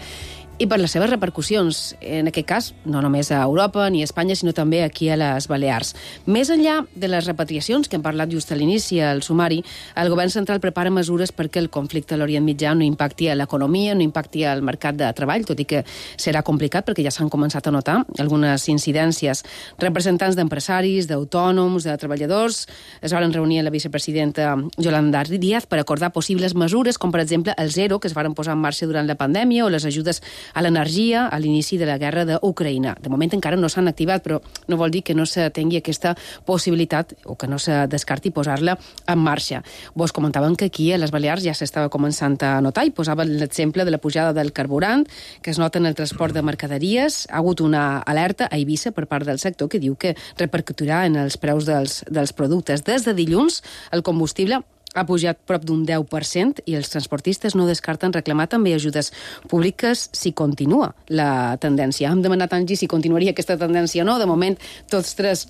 i per les seves repercussions, en aquest cas, no només a Europa ni a Espanya, sinó també aquí a les Balears. Més enllà de les repatriacions, que hem parlat just a l'inici al sumari, el govern central prepara mesures perquè el conflicte a l'Orient Mitjà no impacti a l'economia, no impacti al mercat de treball, tot i que serà complicat perquè ja s'han començat a notar algunes incidències. Representants d'empresaris, d'autònoms, de treballadors es van reunir amb la vicepresidenta Yolanda Díaz per acordar possibles mesures, com per exemple el zero, que es van posar en marxa durant la pandèmia, o les ajudes a l'energia a l'inici de la guerra d'Ucraïna. De moment encara no s'han activat, però no vol dir que no se tingui aquesta possibilitat o que no se descarti posar-la en marxa. Vos comentaven que aquí a les Balears ja s'estava començant a notar i posaven l'exemple de la pujada del carburant, que es nota en el transport de mercaderies. Ha hagut una alerta a Eivissa per part del sector que diu que repercutirà en els preus dels productes. Des de dilluns, el combustible ha pujat prop d'un 10% i els transportistes no descarten reclamar també ajudes públiques si continua la tendència. Hem demanat a Angie si continuaria aquesta tendència o no. De moment, tots tres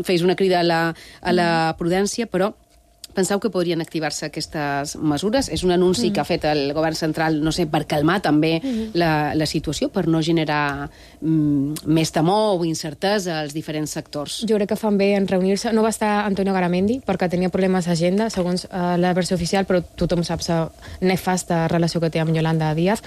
feis una crida a la prudència, però penseu que podrien activar-se aquestes mesures? És un anunci que ha fet el govern central, no sé, per calmar també la situació, per no generar més temor o incertesa als diferents sectors. Jo crec que fan bé en reunir-se. No va estar Antonio Garamendi perquè tenia problemes d'agenda, segons la versió oficial, però tothom sap la nefasta relació que té amb Yolanda Díaz.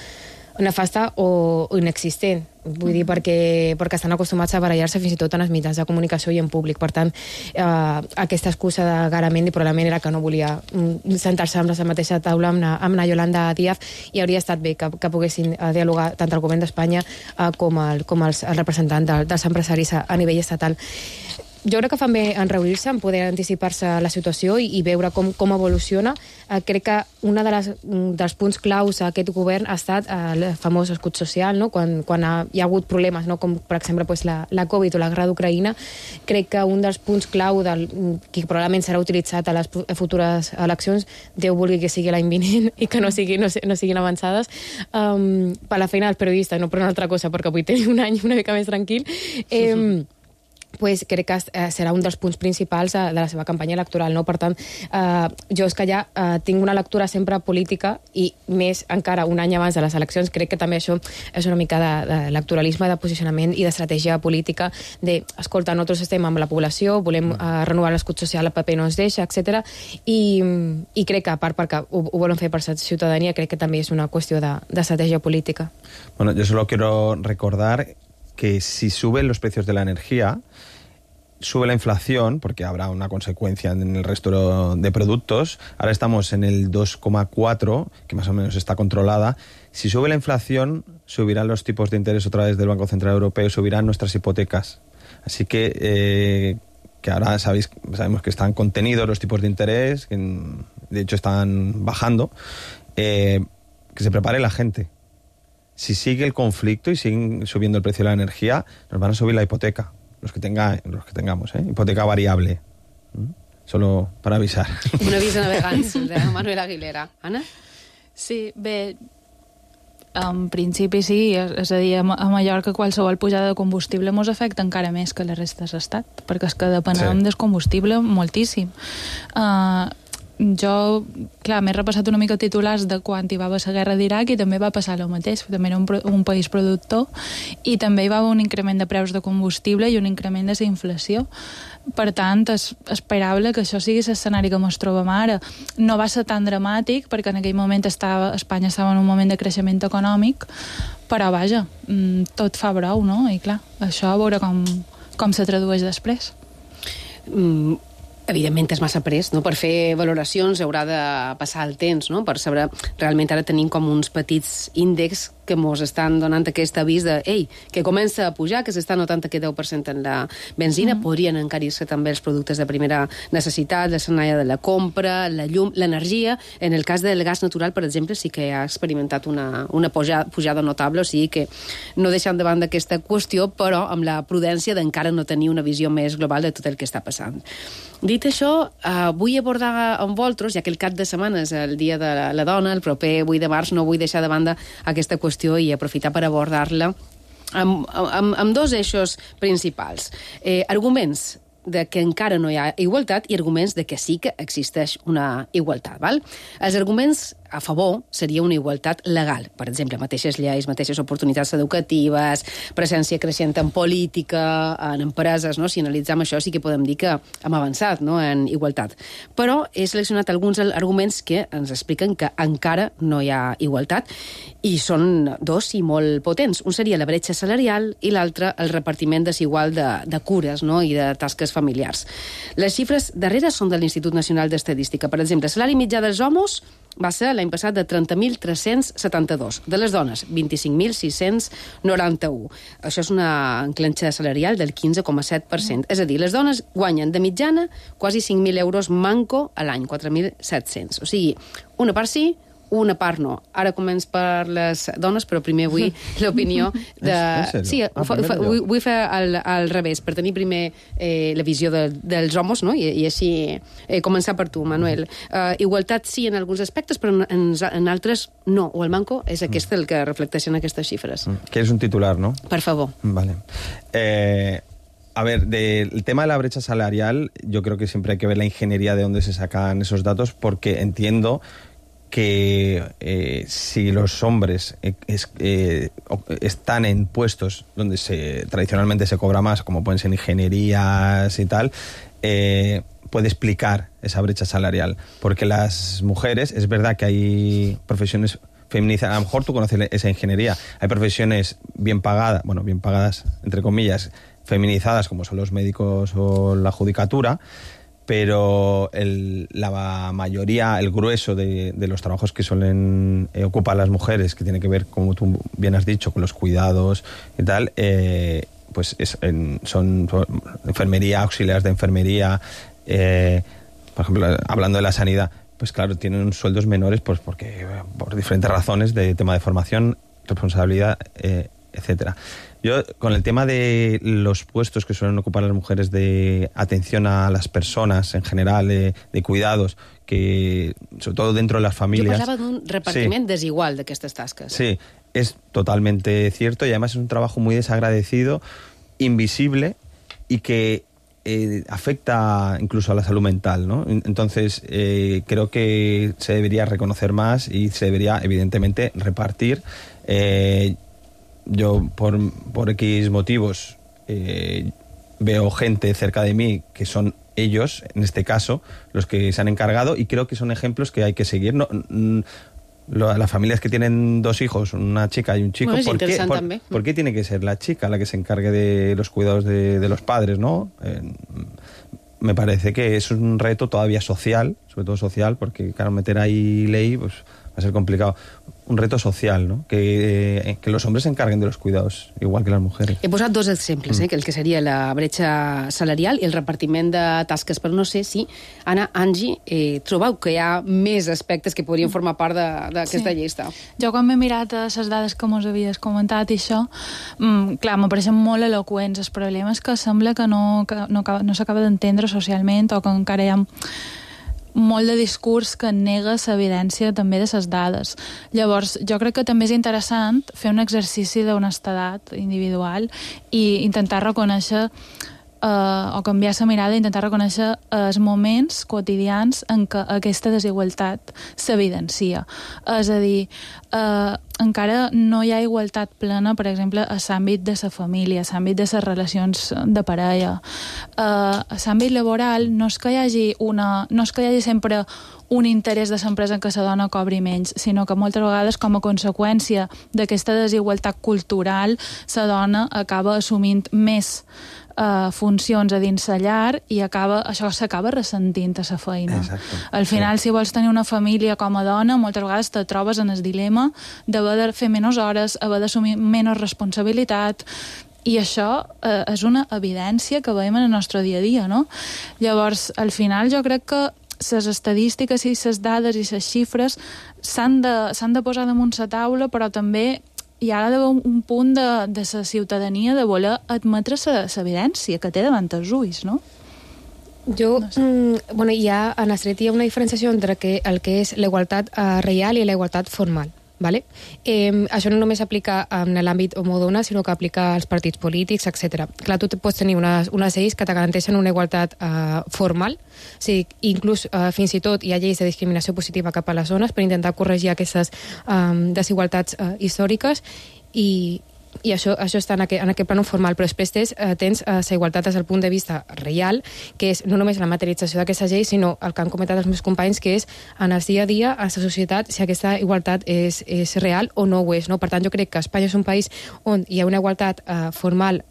Nefasta o inexistent. Vull dir, perquè estan acostumats a barallar-se fins i tot en els mitjans de comunicació i en públic. Per tant, aquesta excusa de Garamendi probablement era que no volia sentar-se amb la mateixa taula amb la Yolanda Díaz, i hauria estat bé que poguessin dialogar tant el govern d'Espanya com els representants dels empresaris a nivell estatal. Jo crec que fan bé en reunir-se, en poder anticipar-se a la situació i veure com evoluciona. Crec que un dels punts claus a aquest govern ha estat el famós escut social, no? Quan hi ha hagut problemes, no? Com per exemple la Covid o la guerra d'Ucraïna. Crec que un dels punts clau que probablement serà utilitzat a les futures eleccions, Déu vulgui que sigui l'any vinent i que no siguin avançades, per la feina dels periodistes, no per una altra cosa, perquè vull tenir un any una mica més tranquil. pues crec que serà un dels punts principals de la seva campanya electoral. No? Per tant, jo és que ja tinc una lectura sempre política i més encara un any abans de les eleccions. Crec que també això és una mica d'electoralisme, de posicionament i d'estratègia política escolta, nosaltres estem amb la població, volem renovar l'escut social, el paper no ens deixa, etc. I crec que, a part perquè ho volen fer per la ciutadania, crec que també és una qüestió d'estratègia política. Bueno, yo solo quiero recordar que si suben los precios de la energía, sube la inflación, porque habrá una consecuencia en el resto de productos. Ahora estamos en el 2,4, que más o menos está controlada. Si sube la inflación, subirán los tipos de interés otra vez del Banco Central Europeo, subirán nuestras hipotecas. Así que ahora sabemos que están contenidos los tipos de interés, que de hecho están bajando, que se prepare la gente. Si sigue el conflicto y siguen subiendo el precio de la energía, nos van a subir la hipoteca, los que tengamos, hipoteca variable. Solo per avisar. Un avís a navegants de Manuel Aguilera. Anna? Sí, bé, en principi sí, és a dir, a Mallorca qualsevol pujada de combustible mos afecta encara més que la resta de l'estat, perquè és que depenem del combustible moltíssim. Jo, clar, m'he repassat una mica titulars de quan hi va haver la guerra d'Iraq i també va passar el mateix, també era un país productor i també hi va haver un increment de preus de combustible i un increment de la inflació. Per tant, és esperable que això sigui l'escenari que ens trobem ara. No va ser tan dramàtic perquè en aquell moment Espanya estava en un moment de creixement econòmic, però vaja, tot fa brou, no? I clar, això a veure com se tradueix després. Evidentment és massa pres, no? Per fer valoracions haurà de passar el temps, no? Per saber, realment ara tenim com uns petits índexs que mos estan donant aquest avís de que comença a pujar, que s'està notant aquest 10% en la benzina, podrien encarir-se també els productes de primera necessitat, l'escenari de la compra, la llum, l'energia. En el cas del gas natural, per exemple, sí que ha experimentat una pujada notable, o sigui que no deixant de banda aquesta qüestió, però amb la prudència d'encara no tenir una visió més global de tot el que està passant. Dit això, vull abordar amb vosaltres, ja que el cap de setmana és el Dia de la Dona, el proper 8 de març, no vull deixar de banda aquesta qüestió i aprofitar per abordar-la amb dos eixos principals. Arguments de que encara no hi ha igualtat i arguments de que sí que existeix una igualtat. Val? Els arguments a favor seria una igualtat legal. Per exemple, mateixes lleis, mateixes oportunitats educatives, presència creixent en política, en empreses, no? Si analitzem això sí que podem dir que hem avançat, no? En igualtat. Però he seleccionat alguns arguments que ens expliquen que encara no hi ha igualtat i són dos i molt potents. Un seria la bretxa salarial i l'altre el repartiment desigual de cures, no? I de tasques familiars. Les xifres darreres són de l'Institut Nacional d'Estadística. Per exemple, el salari mitjà dels homes va ser l'any passat de 30.372. De les dones, 25.691. Això és una enclenxa salarial del 15,7%. És a dir, les dones guanyen de mitjana quasi 5.000 euros manco a l'any, 4.700. O sigui, una part sí, una part no. Ara començo per les dones, però primer vull l'opinió de... Sí, vull fer al revés, per tenir primer la visió dels homes, no? I així començar per tu, Manuel. Igualtat sí en alguns aspectes, però en altres no. O el manco és aquest el que reflecteixen aquestes xifres. ¿Quieres un titular, no? Per favor. Vale. A ver, del tema de la brecha salarial, yo creo que siempre hay que ver la ingeniería de dónde se sacan esos datos, porque entiendo que si los hombres están en puestos donde tradicionalmente se cobra más, como pueden ser ingenierías y tal, puede explicar esa brecha salarial. Porque las mujeres, es verdad que hay profesiones feminizadas, a lo mejor tú conoces esa ingeniería, hay profesiones bien pagadas, entre comillas, feminizadas, como son los médicos o la judicatura, pero la mayoría, el grueso de los trabajos que suelen ocupar las mujeres, que tiene que ver, como tú bien has dicho, con los cuidados y tal, pues son enfermería, auxiliares de enfermería, por ejemplo, hablando de la sanidad, pues claro, tienen sueldos menores pues porque por diferentes razones de tema de formación, responsabilidad, etcétera. Yo, con el tema de los puestos que suelen ocupar las mujeres de atención a las personas en general, de cuidados, que sobre todo dentro de las familias... Jo parlava d'un repartiment desigual d'aquestes tasques. Sí, es totalmente cierto y además es un trabajo muy desagradecido, invisible y que afecta incluso a la salud mental, ¿no? Entonces, creo que se debería reconocer más y se debería, evidentemente, repartir. Yo, por X motivos, veo gente cerca de mí que son ellos, en este caso, los que se han encargado, y creo que son ejemplos que hay que seguir. Las familias que tienen 2 hijos, una chica y un chico, ¿por qué tiene que ser la chica la que se encargue de los cuidados de los padres, ¿no? Me parece que es un reto todavía social, sobre todo social, porque claro, meter ahí ley pues va a ser complicado. Un reto social, ¿no? Que los hombres se encarguen de los cuidados, igual que las mujeres. He posat 2 exemples, que el que seria la bretxa salarial i el repartiment de tasques, però no sé si, Anna, Angie, trobeu que hi ha més aspectes que podrien formar part d'aquesta llista. Jo quan m'he mirat les dades que mos havies comentat i això, clar, m'apareixen molt eloqüents. El problema és que sembla que no s'acaba d'entendre socialment, o que encara hi ha molt de discurs que nega l'evidència també de les dades. Llavors, jo crec que també és interessant fer un exercici d'honestedat individual i intentar reconèixer o canviar la mirada i intentar reconèixer els moments quotidians en què aquesta desigualtat s'evidencia. És a dir, encara no hi ha igualtat plena, per exemple, a l'àmbit de la família, a l'àmbit de les relacions de parella. A l'àmbit laboral no és que hi hagi sempre un interès de l'empresa en què la dona cobri menys, sinó que moltes vegades, com a conseqüència d'aquesta desigualtat cultural, la dona acaba assumint més funcions a dins la llar i això s'acaba ressentint a la feina. Exacte. Al final, si vols tenir una família com a dona, moltes vegades te trobes en el dilema d'haver de fer menys hores, haver d'assumir menys responsabilitat, i això és una evidència que veiem en el nostre dia a dia, no? Llavors, al final, jo crec que les estadístiques i les dades i les xifres s'han de posar damunt la taula, però també hi ha d'haver un punt de la ciutadania de voler admetre l'evidència que té davant els ulls, no? Jo, no sé. Hi ha, en Estret hi ha una diferenciació entre el que és la igualtat real i la igualtat formal. Vale? Això no només s'aplica en l'àmbit homodona, sinó que aplica als partits polítics, etc. Clar, tu pots tenir unes lleis que te garanteixen una igualtat formal, o sigui, inclús fins i tot hi ha lleis de discriminació positiva cap a les dones per intentar corregir aquestes desigualtats històriques, i això està en aquest plànol formal, però després tens la igualtat des del punt de vista real, que és no només la materialització d'aquesta llei, sinó el que han comentat els meus companys, que és en el dia a dia, a la societat, si aquesta igualtat és real o no ho és. No? Per tant, jo crec que Espanya és un país on hi ha una igualtat formal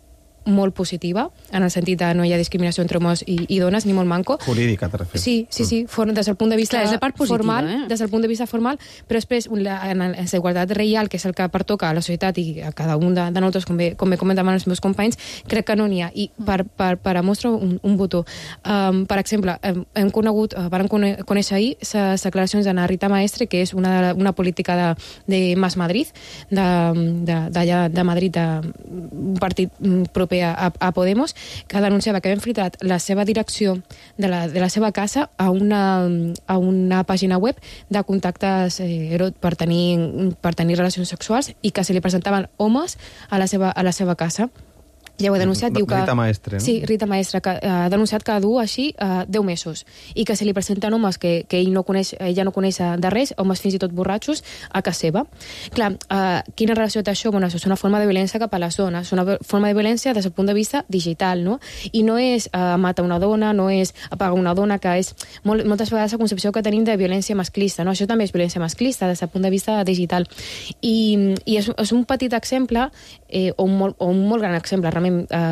molt positiva, en el sentit de no hi ha discriminació entre homes i dones, ni molt manco. Jurídica, te refieres. Sí, des del punt de vista és la part positiva, formal, des del punt de vista formal, però després en la igualtat real, que és el que pertoca a la societat i a cada un de nosaltres, com bé comentaven els meus companys, crec que no n'hi ha. I per mostrar un botó. Per exemple, vam conèixer ahir les declaracions d'Anna Rita Maestre, que és una política de Más Madrid, d'allà de Madrid, un partit proper a Podemos, que denunciava que havien filtrat la seva direcció de la seva casa a una pàgina web de contactes per tenir relacions sexuals, i que se li presentaven homes a la seva casa. Ja ho he denunciat, diu que... Rita Maestre, no? Sí, Rita Maestre, que ha denunciat que du així 10 mesos, i que se li presenten homes que ella no coneix de res, homes fins i tot borratxos, a casa seva. Clar, quina relació té això? Bueno, això és una forma de violència cap a les dones, és una forma de violència des del punt de vista digital, no? I no és matar una dona, no és apagar una dona, que és moltes vegades la concepció que tenim de violència masclista, no? Això també és violència masclista des del punt de vista digital. I és un petit exemple, o un molt gran exemple, realment,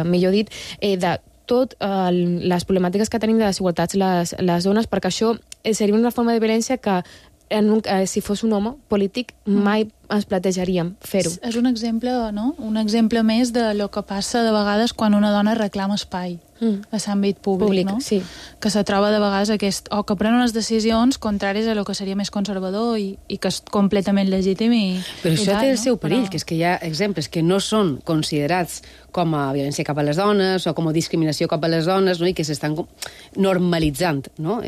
millor dit, de tot les problemàtiques que tenim de desigualtats les dones, perquè això seria una forma de violència que si fos un home polític mai ens plantejaríem fer-ho. És un exemple, no? Un exemple més de lo que passa de vegades quan una dona reclama espai a l'àmbit públic, no? Sí. Que se troba de vegades o que pren unes decisions contràries a lo que seria més conservador i que és completament legítim Però això té el seu perill, que és que hi ha exemples que no són considerats com a violència cap a les dones o com a discriminació cap a les dones, no? I que s'estan normalitzant, no?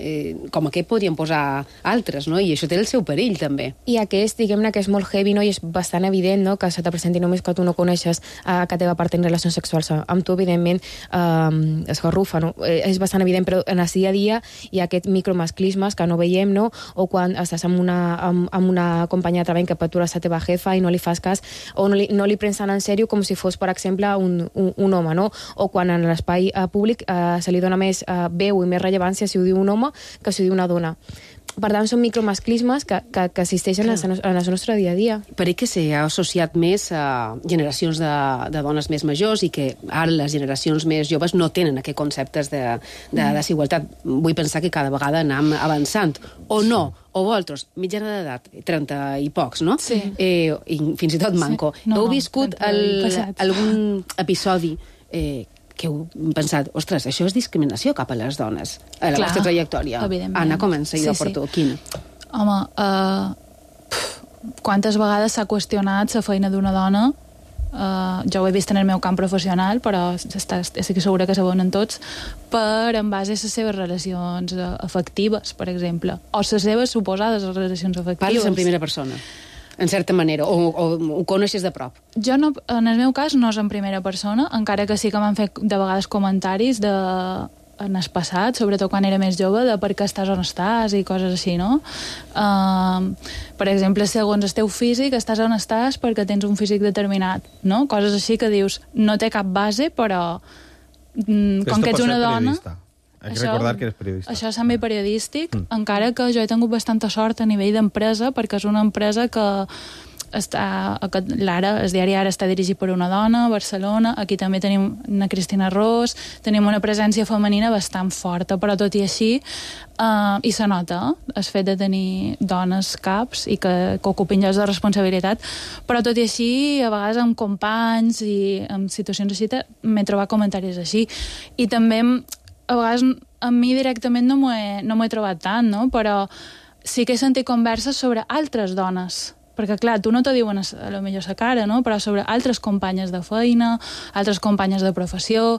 Com aquest podríem posar altres, no? I això té el seu perill, també. I aquest, diguem-ne, que és molt heavy, dir, no? I és bastant evident, no?, que se te presenti només que tu no coneixes que teva part en relacions sexuals amb tu, evidentment, esgarrufa, no? És bastant evident, però en el dia a dia hi ha aquests micromasclismes que no veiem, no? O quan estàs amb una companya de treball que per tu és la teva jefa i no li fas cas, o no li prens tan en sèrio com si fos, per exemple, un home, no? O quan en l'espai públic se li dona més veu i més rellevància si ho diu un home que si ho diu una dona. Per tant, són micromasclismes que existeixen en el nostre dia a dia. Per que s'ha associat més a generacions de dones més majors i que ara les generacions més joves no tenen aquests conceptes de desigualtat. Vull pensar que cada vegada anem avançant. O no, o vosaltres, mitjana d'edat, 30 i pocs, no? Sí. I fins i tot manco. Heu viscut algun episodi que heu pensat, ostres, això és discriminació cap a les dones, a la vostra trajectòria? Anna, comença, i jo porto. Quina? Home, quantes vegades s'ha qüestionat la feina d'una dona? Jo ho he vist en el meu camp professional, però estic segura que saben tots, en base a les seves relacions afectives, per exemple, o les seves suposades relacions afectives. Parles en primera persona, en certa manera, o ho coneixes de prop? Jo, no, en el meu cas, no és en primera persona, encara que sí que m'han fet de vegades comentaris en el passat, sobretot quan era més jove, de per què estàs on estàs i coses així, no? Per exemple, segons el teu físic, estàs on estàs perquè tens un físic determinat, no? Coses així que dius, no té cap base, però com que ets una dona... Hay que recordar que eres periodista. Això és també periodístic, encara que jo he tingut bastanta sort a nivell d'empresa, perquè és una empresa que l'Ara, el diari Ara està dirigit per una dona, a Barcelona, aquí també tenim una Cristina Ros, tenim una presència femenina bastant forta, però tot i així, i se nota el fet de tenir dones caps i que ocupin llocs de responsabilitat, però tot i així, a vegades amb companys i en situacions així, m'he trobat comentaris així. I també, a vegades, a mi directament no m'ho he trobat tant, no? Però sí que he sentit converses sobre altres dones, perquè, clar, tu no t'ho diuen a lo millor sa cara, no? Però sobre altres companyes de feina, altres companyes de professió,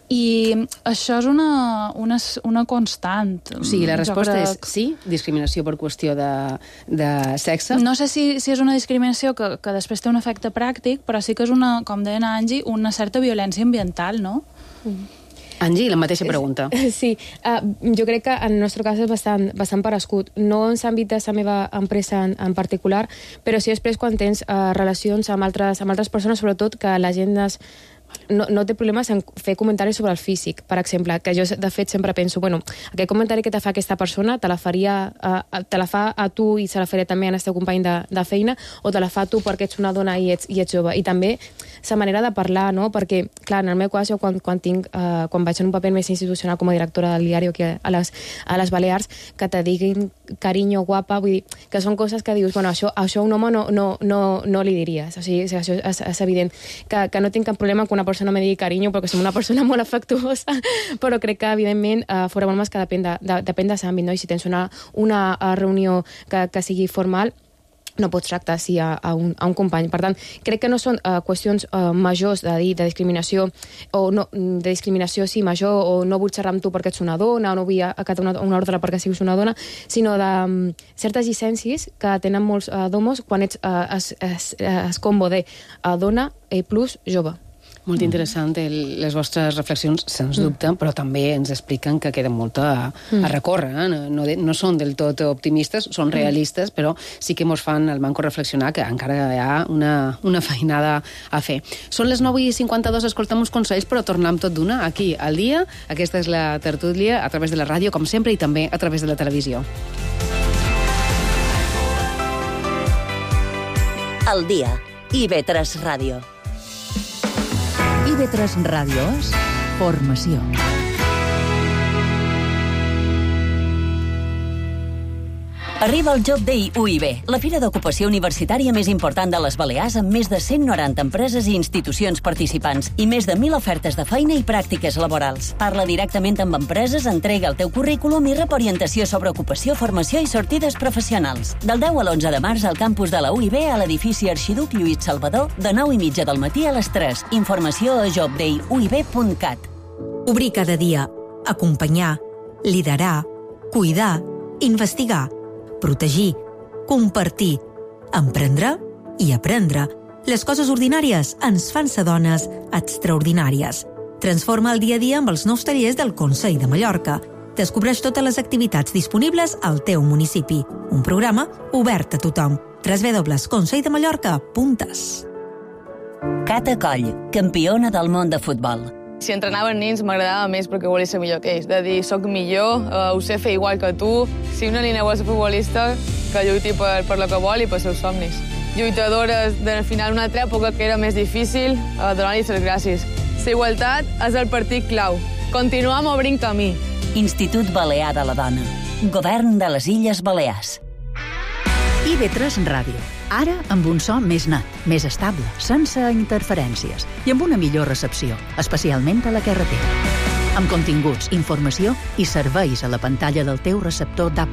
i això és una constant. O sigui, la resposta és sí, discriminació per qüestió de sexe? No sé si és una discriminació que després té un efecte pràctic, però sí que és com deia Angie, una certa violència ambiental, no? Angie, la mateixa pregunta. Sí, jo crec que en el nostre cas és bastant parescut. No en l'àmbit de la meva empresa en particular, però sí després quan tens relacions amb altres persones, sobretot que la gent no té problemes en fer comentaris sobre el físic, per exemple, que jo de fet sempre penso, bueno, aquest comentari que te fa aquesta persona te la fa a tu i se la faré també al teu company de feina, o te la fa a tu perquè ets una dona i ets jove. I també la manera de parlar, no? Perquè, clar, en el meu cas, jo quan vaig en un paper més institucional com a directora del diari aquí a les Balears, que te diguin carinyo, guapa, vull dir, que són coses que dius, bueno, això a un home no li diries. O sigui, això és evident. Que no tinc cap problema que una persona me digui carinyo, perquè som una persona molt afectuosa, però crec que, evidentment, fora molt més que depèn de l'àmbit, no? I si tens una reunió que sigui formal, no pots tractar així a un company. Per tant, crec que no són qüestions majors de dir de discriminació, o no, de discriminació sí major, o no vull xerrar amb tu perquè ets una dona, o no vull acatar una ordre perquè siguis una dona, sinó de certes llicències que tenen molts d'homos quan ets es combo de dona plus jove. Molt interessant les vostres reflexions, sens dubte, però també ens expliquen que queda molt a recórrer. No són del tot optimistes, són realistes, però sí que ens fan el manco reflexionar que encara hi ha una feinada a fer. Són les 9:52, escoltem uns consells, però tornem tot d'una aquí al dia. Aquesta és la tertúlia a través de la ràdio, com sempre, i també a través de la televisió. Al dia, IB3 Ràdio. IB3 Ràdio és formació. Arriba el Job Day UIB, la fira d'ocupació universitària més important de les Balears, amb més de 190 empreses i institucions participants i més de 1.000 ofertes de feina i pràctiques laborals. Parla directament amb empreses, entrega el teu currículum i rep orientació sobre ocupació, formació i sortides professionals. Del 10 a l'11 de març al campus de la UIB a l'edifici Arxiduc Lluís Salvador, de 9:30 del matí a les 3. Informació a jobdayuib.cat. Obrir cada dia, acompanyar, liderar, cuidar, investigar, protegir, compartir, emprendre, i aprendre, les coses ordinàries ens fan ser dones extraordinàries. Transforma el dia a dia amb els nous tallers del Consell de Mallorca. Descobreix totes les activitats disponibles al teu municipi. Un programa obert a tothom. www.conselldemallorca.es. Cata Coll, campiona del món de futbol. Si entrenaven nins m'agradava més perquè volia ser millor que ells. De dir, soc millor, ho sé fer igual que tu. Si una nina vol ser futbolista, que lluiti per lo que vol i pels seus somnis. Lluitadores del final d'una altra època que era més difícil, donar-li les gràcies. La igualtat és el partit clau. Continuem obrint camí. Institut Balear de la Dona. Govern de les Illes Balears. IB3 Ràdio. Ara amb un so més net, més estable, sense interferències i amb una millor recepció, especialment a la carretera. Amb continguts, informació i serveis a la pantalla del teu receptor DAB+.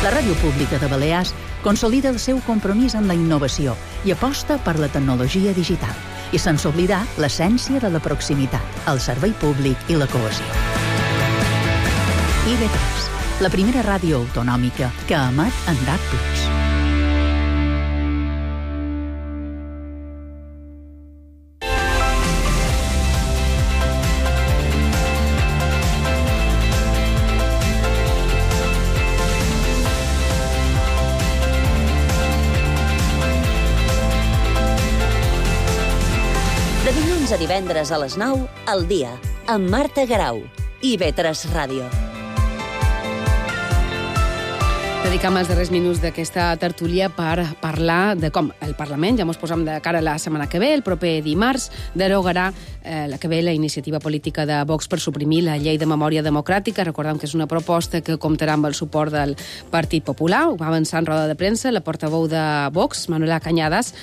La Ràdio Pública de Balears consolida el seu compromís amb la innovació i aposta per la tecnologia digital. I sense oblidar l'essència de la proximitat, el servei públic i la cohesió. IB3, la primera ràdio autonòmica que emet en DAB+. De dilluns a divendres a les 9, al dia, amb Marta Garau, IB3 Ràdio. Dedicam els darrers minuts d'aquesta tertúlia per parlar de com el Parlament, ja ens posem de cara a la setmana que ve, el proper dimarts, derogarà la iniciativa política de Vox per suprimir la llei de memòria democràtica. Recordem que és una proposta que comptarà amb el suport del Partit Popular. Ho va avançar en roda de premsa la portaveu de Vox, Manuela Cañadas,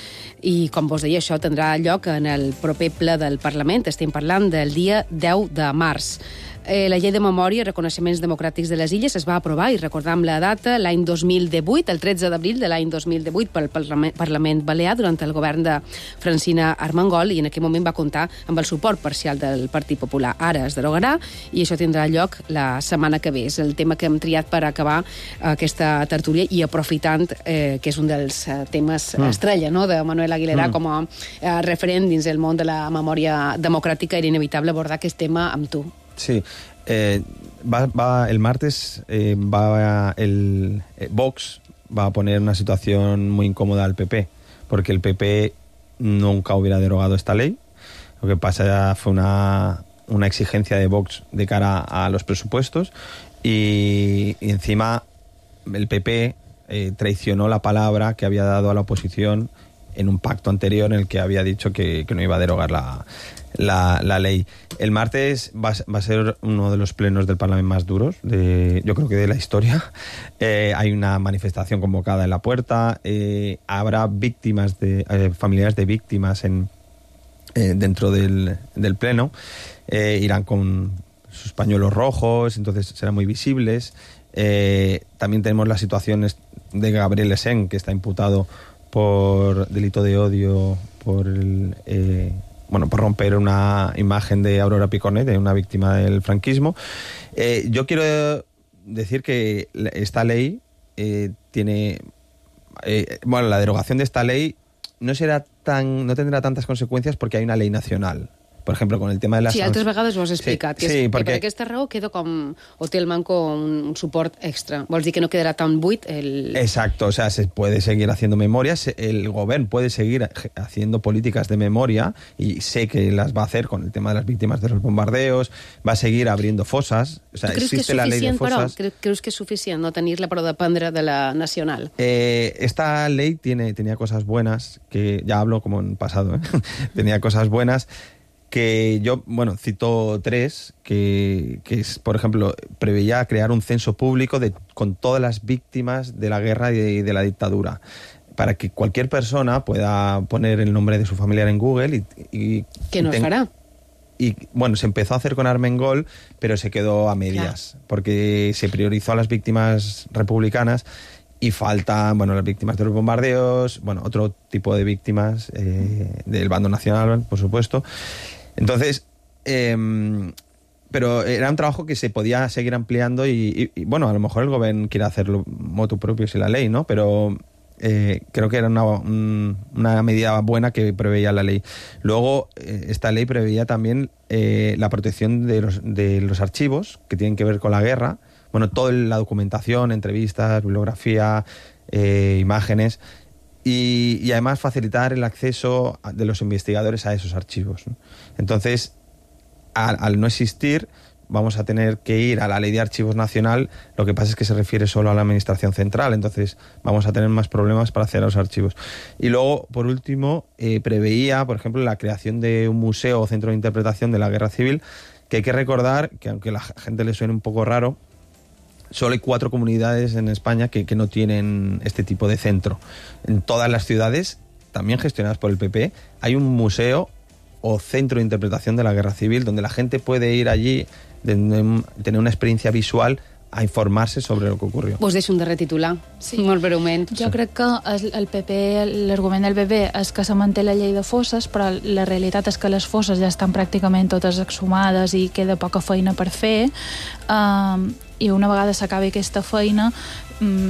i com vos deia, això tindrà lloc en el proper ple del Parlament. Estem parlant del dia 10 de març. La llei de memòria i reconeixements democràtics de les illes es va aprovar, i recordam la data, l'any 2018, el 13 d'abril de l'any 2018, pel Parlament Balear, durant el govern de Francina Armengol, i en aquell moment va comptar amb el suport parcial del Partit Popular. Ara es derogarà i això tindrà lloc la setmana que ve. És el tema que hem triat per acabar aquesta tertúlia, i aprofitant que és un dels temes estrella, no?, de Manuel Aguilera com a referent dins el món de la memòria democràtica, era inevitable abordar aquest tema amb tu. Sí, el martes Vox va a poner una situación muy incómoda al PP, porque el PP nunca hubiera derogado esta ley. Lo que pasa fue una exigencia de Vox de cara a los presupuestos, y encima el PP traicionó la palabra que había dado a la oposición en un pacto anterior en el que había dicho que no iba a derogar la ley. El martes va a ser uno de los plenos del Parlamento más duros, yo creo que de la historia. Hay una manifestación convocada en la puerta, habrá víctimas familiares de víctimas dentro del pleno, irán con sus pañuelos rojos, entonces serán muy visibles. También tenemos las situaciones de Gabriel Essén, que está imputado por delito de odio, por romper una imagen de Aurora Picornet, de una víctima del franquismo. Yo quiero decir que esta ley tiene... la derogación de esta ley no tendrá tantas consecuencias porque hay una ley nacional. Por ejemplo, con el tema de las... Sí, altres vegades ho has explicat. Sí, que per aquesta raó queda o té el manco un suport extra. Vols dir que no quedarà tan buit el... Exacto, o sea, se puede seguir haciendo memorias, el gobierno puede seguir haciendo políticas de memoria, y sé que las va a hacer con el tema de las víctimas de los bombardeos, va a seguir abriendo fosas, o sea, existe la ley de fosas. Creus que és suficient no tenir-la per dependre de la nacional? Esta ley tenía cosas buenas, que ya hablo como en pasado, tenía cosas buenas, que yo, cito tres, que es, por ejemplo, preveía crear un censo público con todas las víctimas de la guerra y de la dictadura, para que cualquier persona pueda poner el nombre de su familiar en Google y ¿qué nos hará? Y se empezó a hacer con Armengol, pero se quedó a medias, porque se priorizó a las víctimas republicanas y faltan, las víctimas de los bombardeos, otro tipo de víctimas del bando nacional, por supuesto. Entonces, pero era un trabajo que se podía seguir ampliando y a lo mejor el gobierno quiere hacerlo motu propio sin la ley, ¿no? Pero creo que era una medida buena que preveía la ley. Luego, esta ley preveía también la protección de los archivos que tienen que ver con la guerra. Bueno, toda la documentación, entrevistas, bibliografía, imágenes, y además facilitar el acceso de los investigadores a esos archivos, ¿no? Entonces, al no existir, vamos a tener que ir a la Ley de Archivos Nacional. Lo que pasa es que se refiere solo a la Administración Central, entonces vamos a tener más problemas para acceder a los archivos. Y luego, por último, preveía, por ejemplo, la creación de un museo o centro de interpretación de la Guerra Civil, que hay que recordar que, aunque a la gente le suene un poco raro, solo hay 4 comunidades en España que no tienen este tipo de centro. En todas las ciudades, también gestionadas por el PP, hay un museo o centro de interpretación de la Guerra Civil donde la gente puede ir allí, tener una experiencia visual, a informarse sobre el que ocurrió. Us deixo un darrer titular, molt breument. Jo crec que el PP, l'argument del PP és que se manté la llei de fosses, però la realitat és que les fosses ja estan pràcticament totes exhumades i queda poca feina per fer, i una vegada s'acabi aquesta feina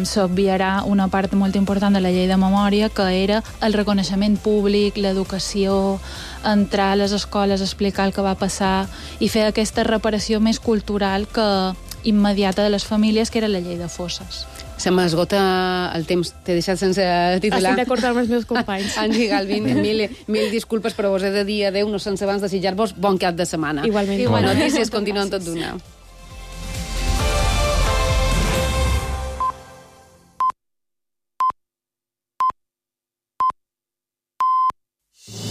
s'obviarà una part molt important de la llei de memòria, que era el reconeixement públic, l'educació, entrar a les escoles, explicar el que va passar i fer aquesta reparació més cultural que immediata de les famílies, que era la llei de fosses. Se m'esgota el temps, t'he deixat sense titular. Estic d'acord amb els meus companys. Angie Galvin, mil disculpes, però us he de dir adeu, no sense abans desitjar-vos bon cap de setmana. Igualment. Notícies continuen tot d'una.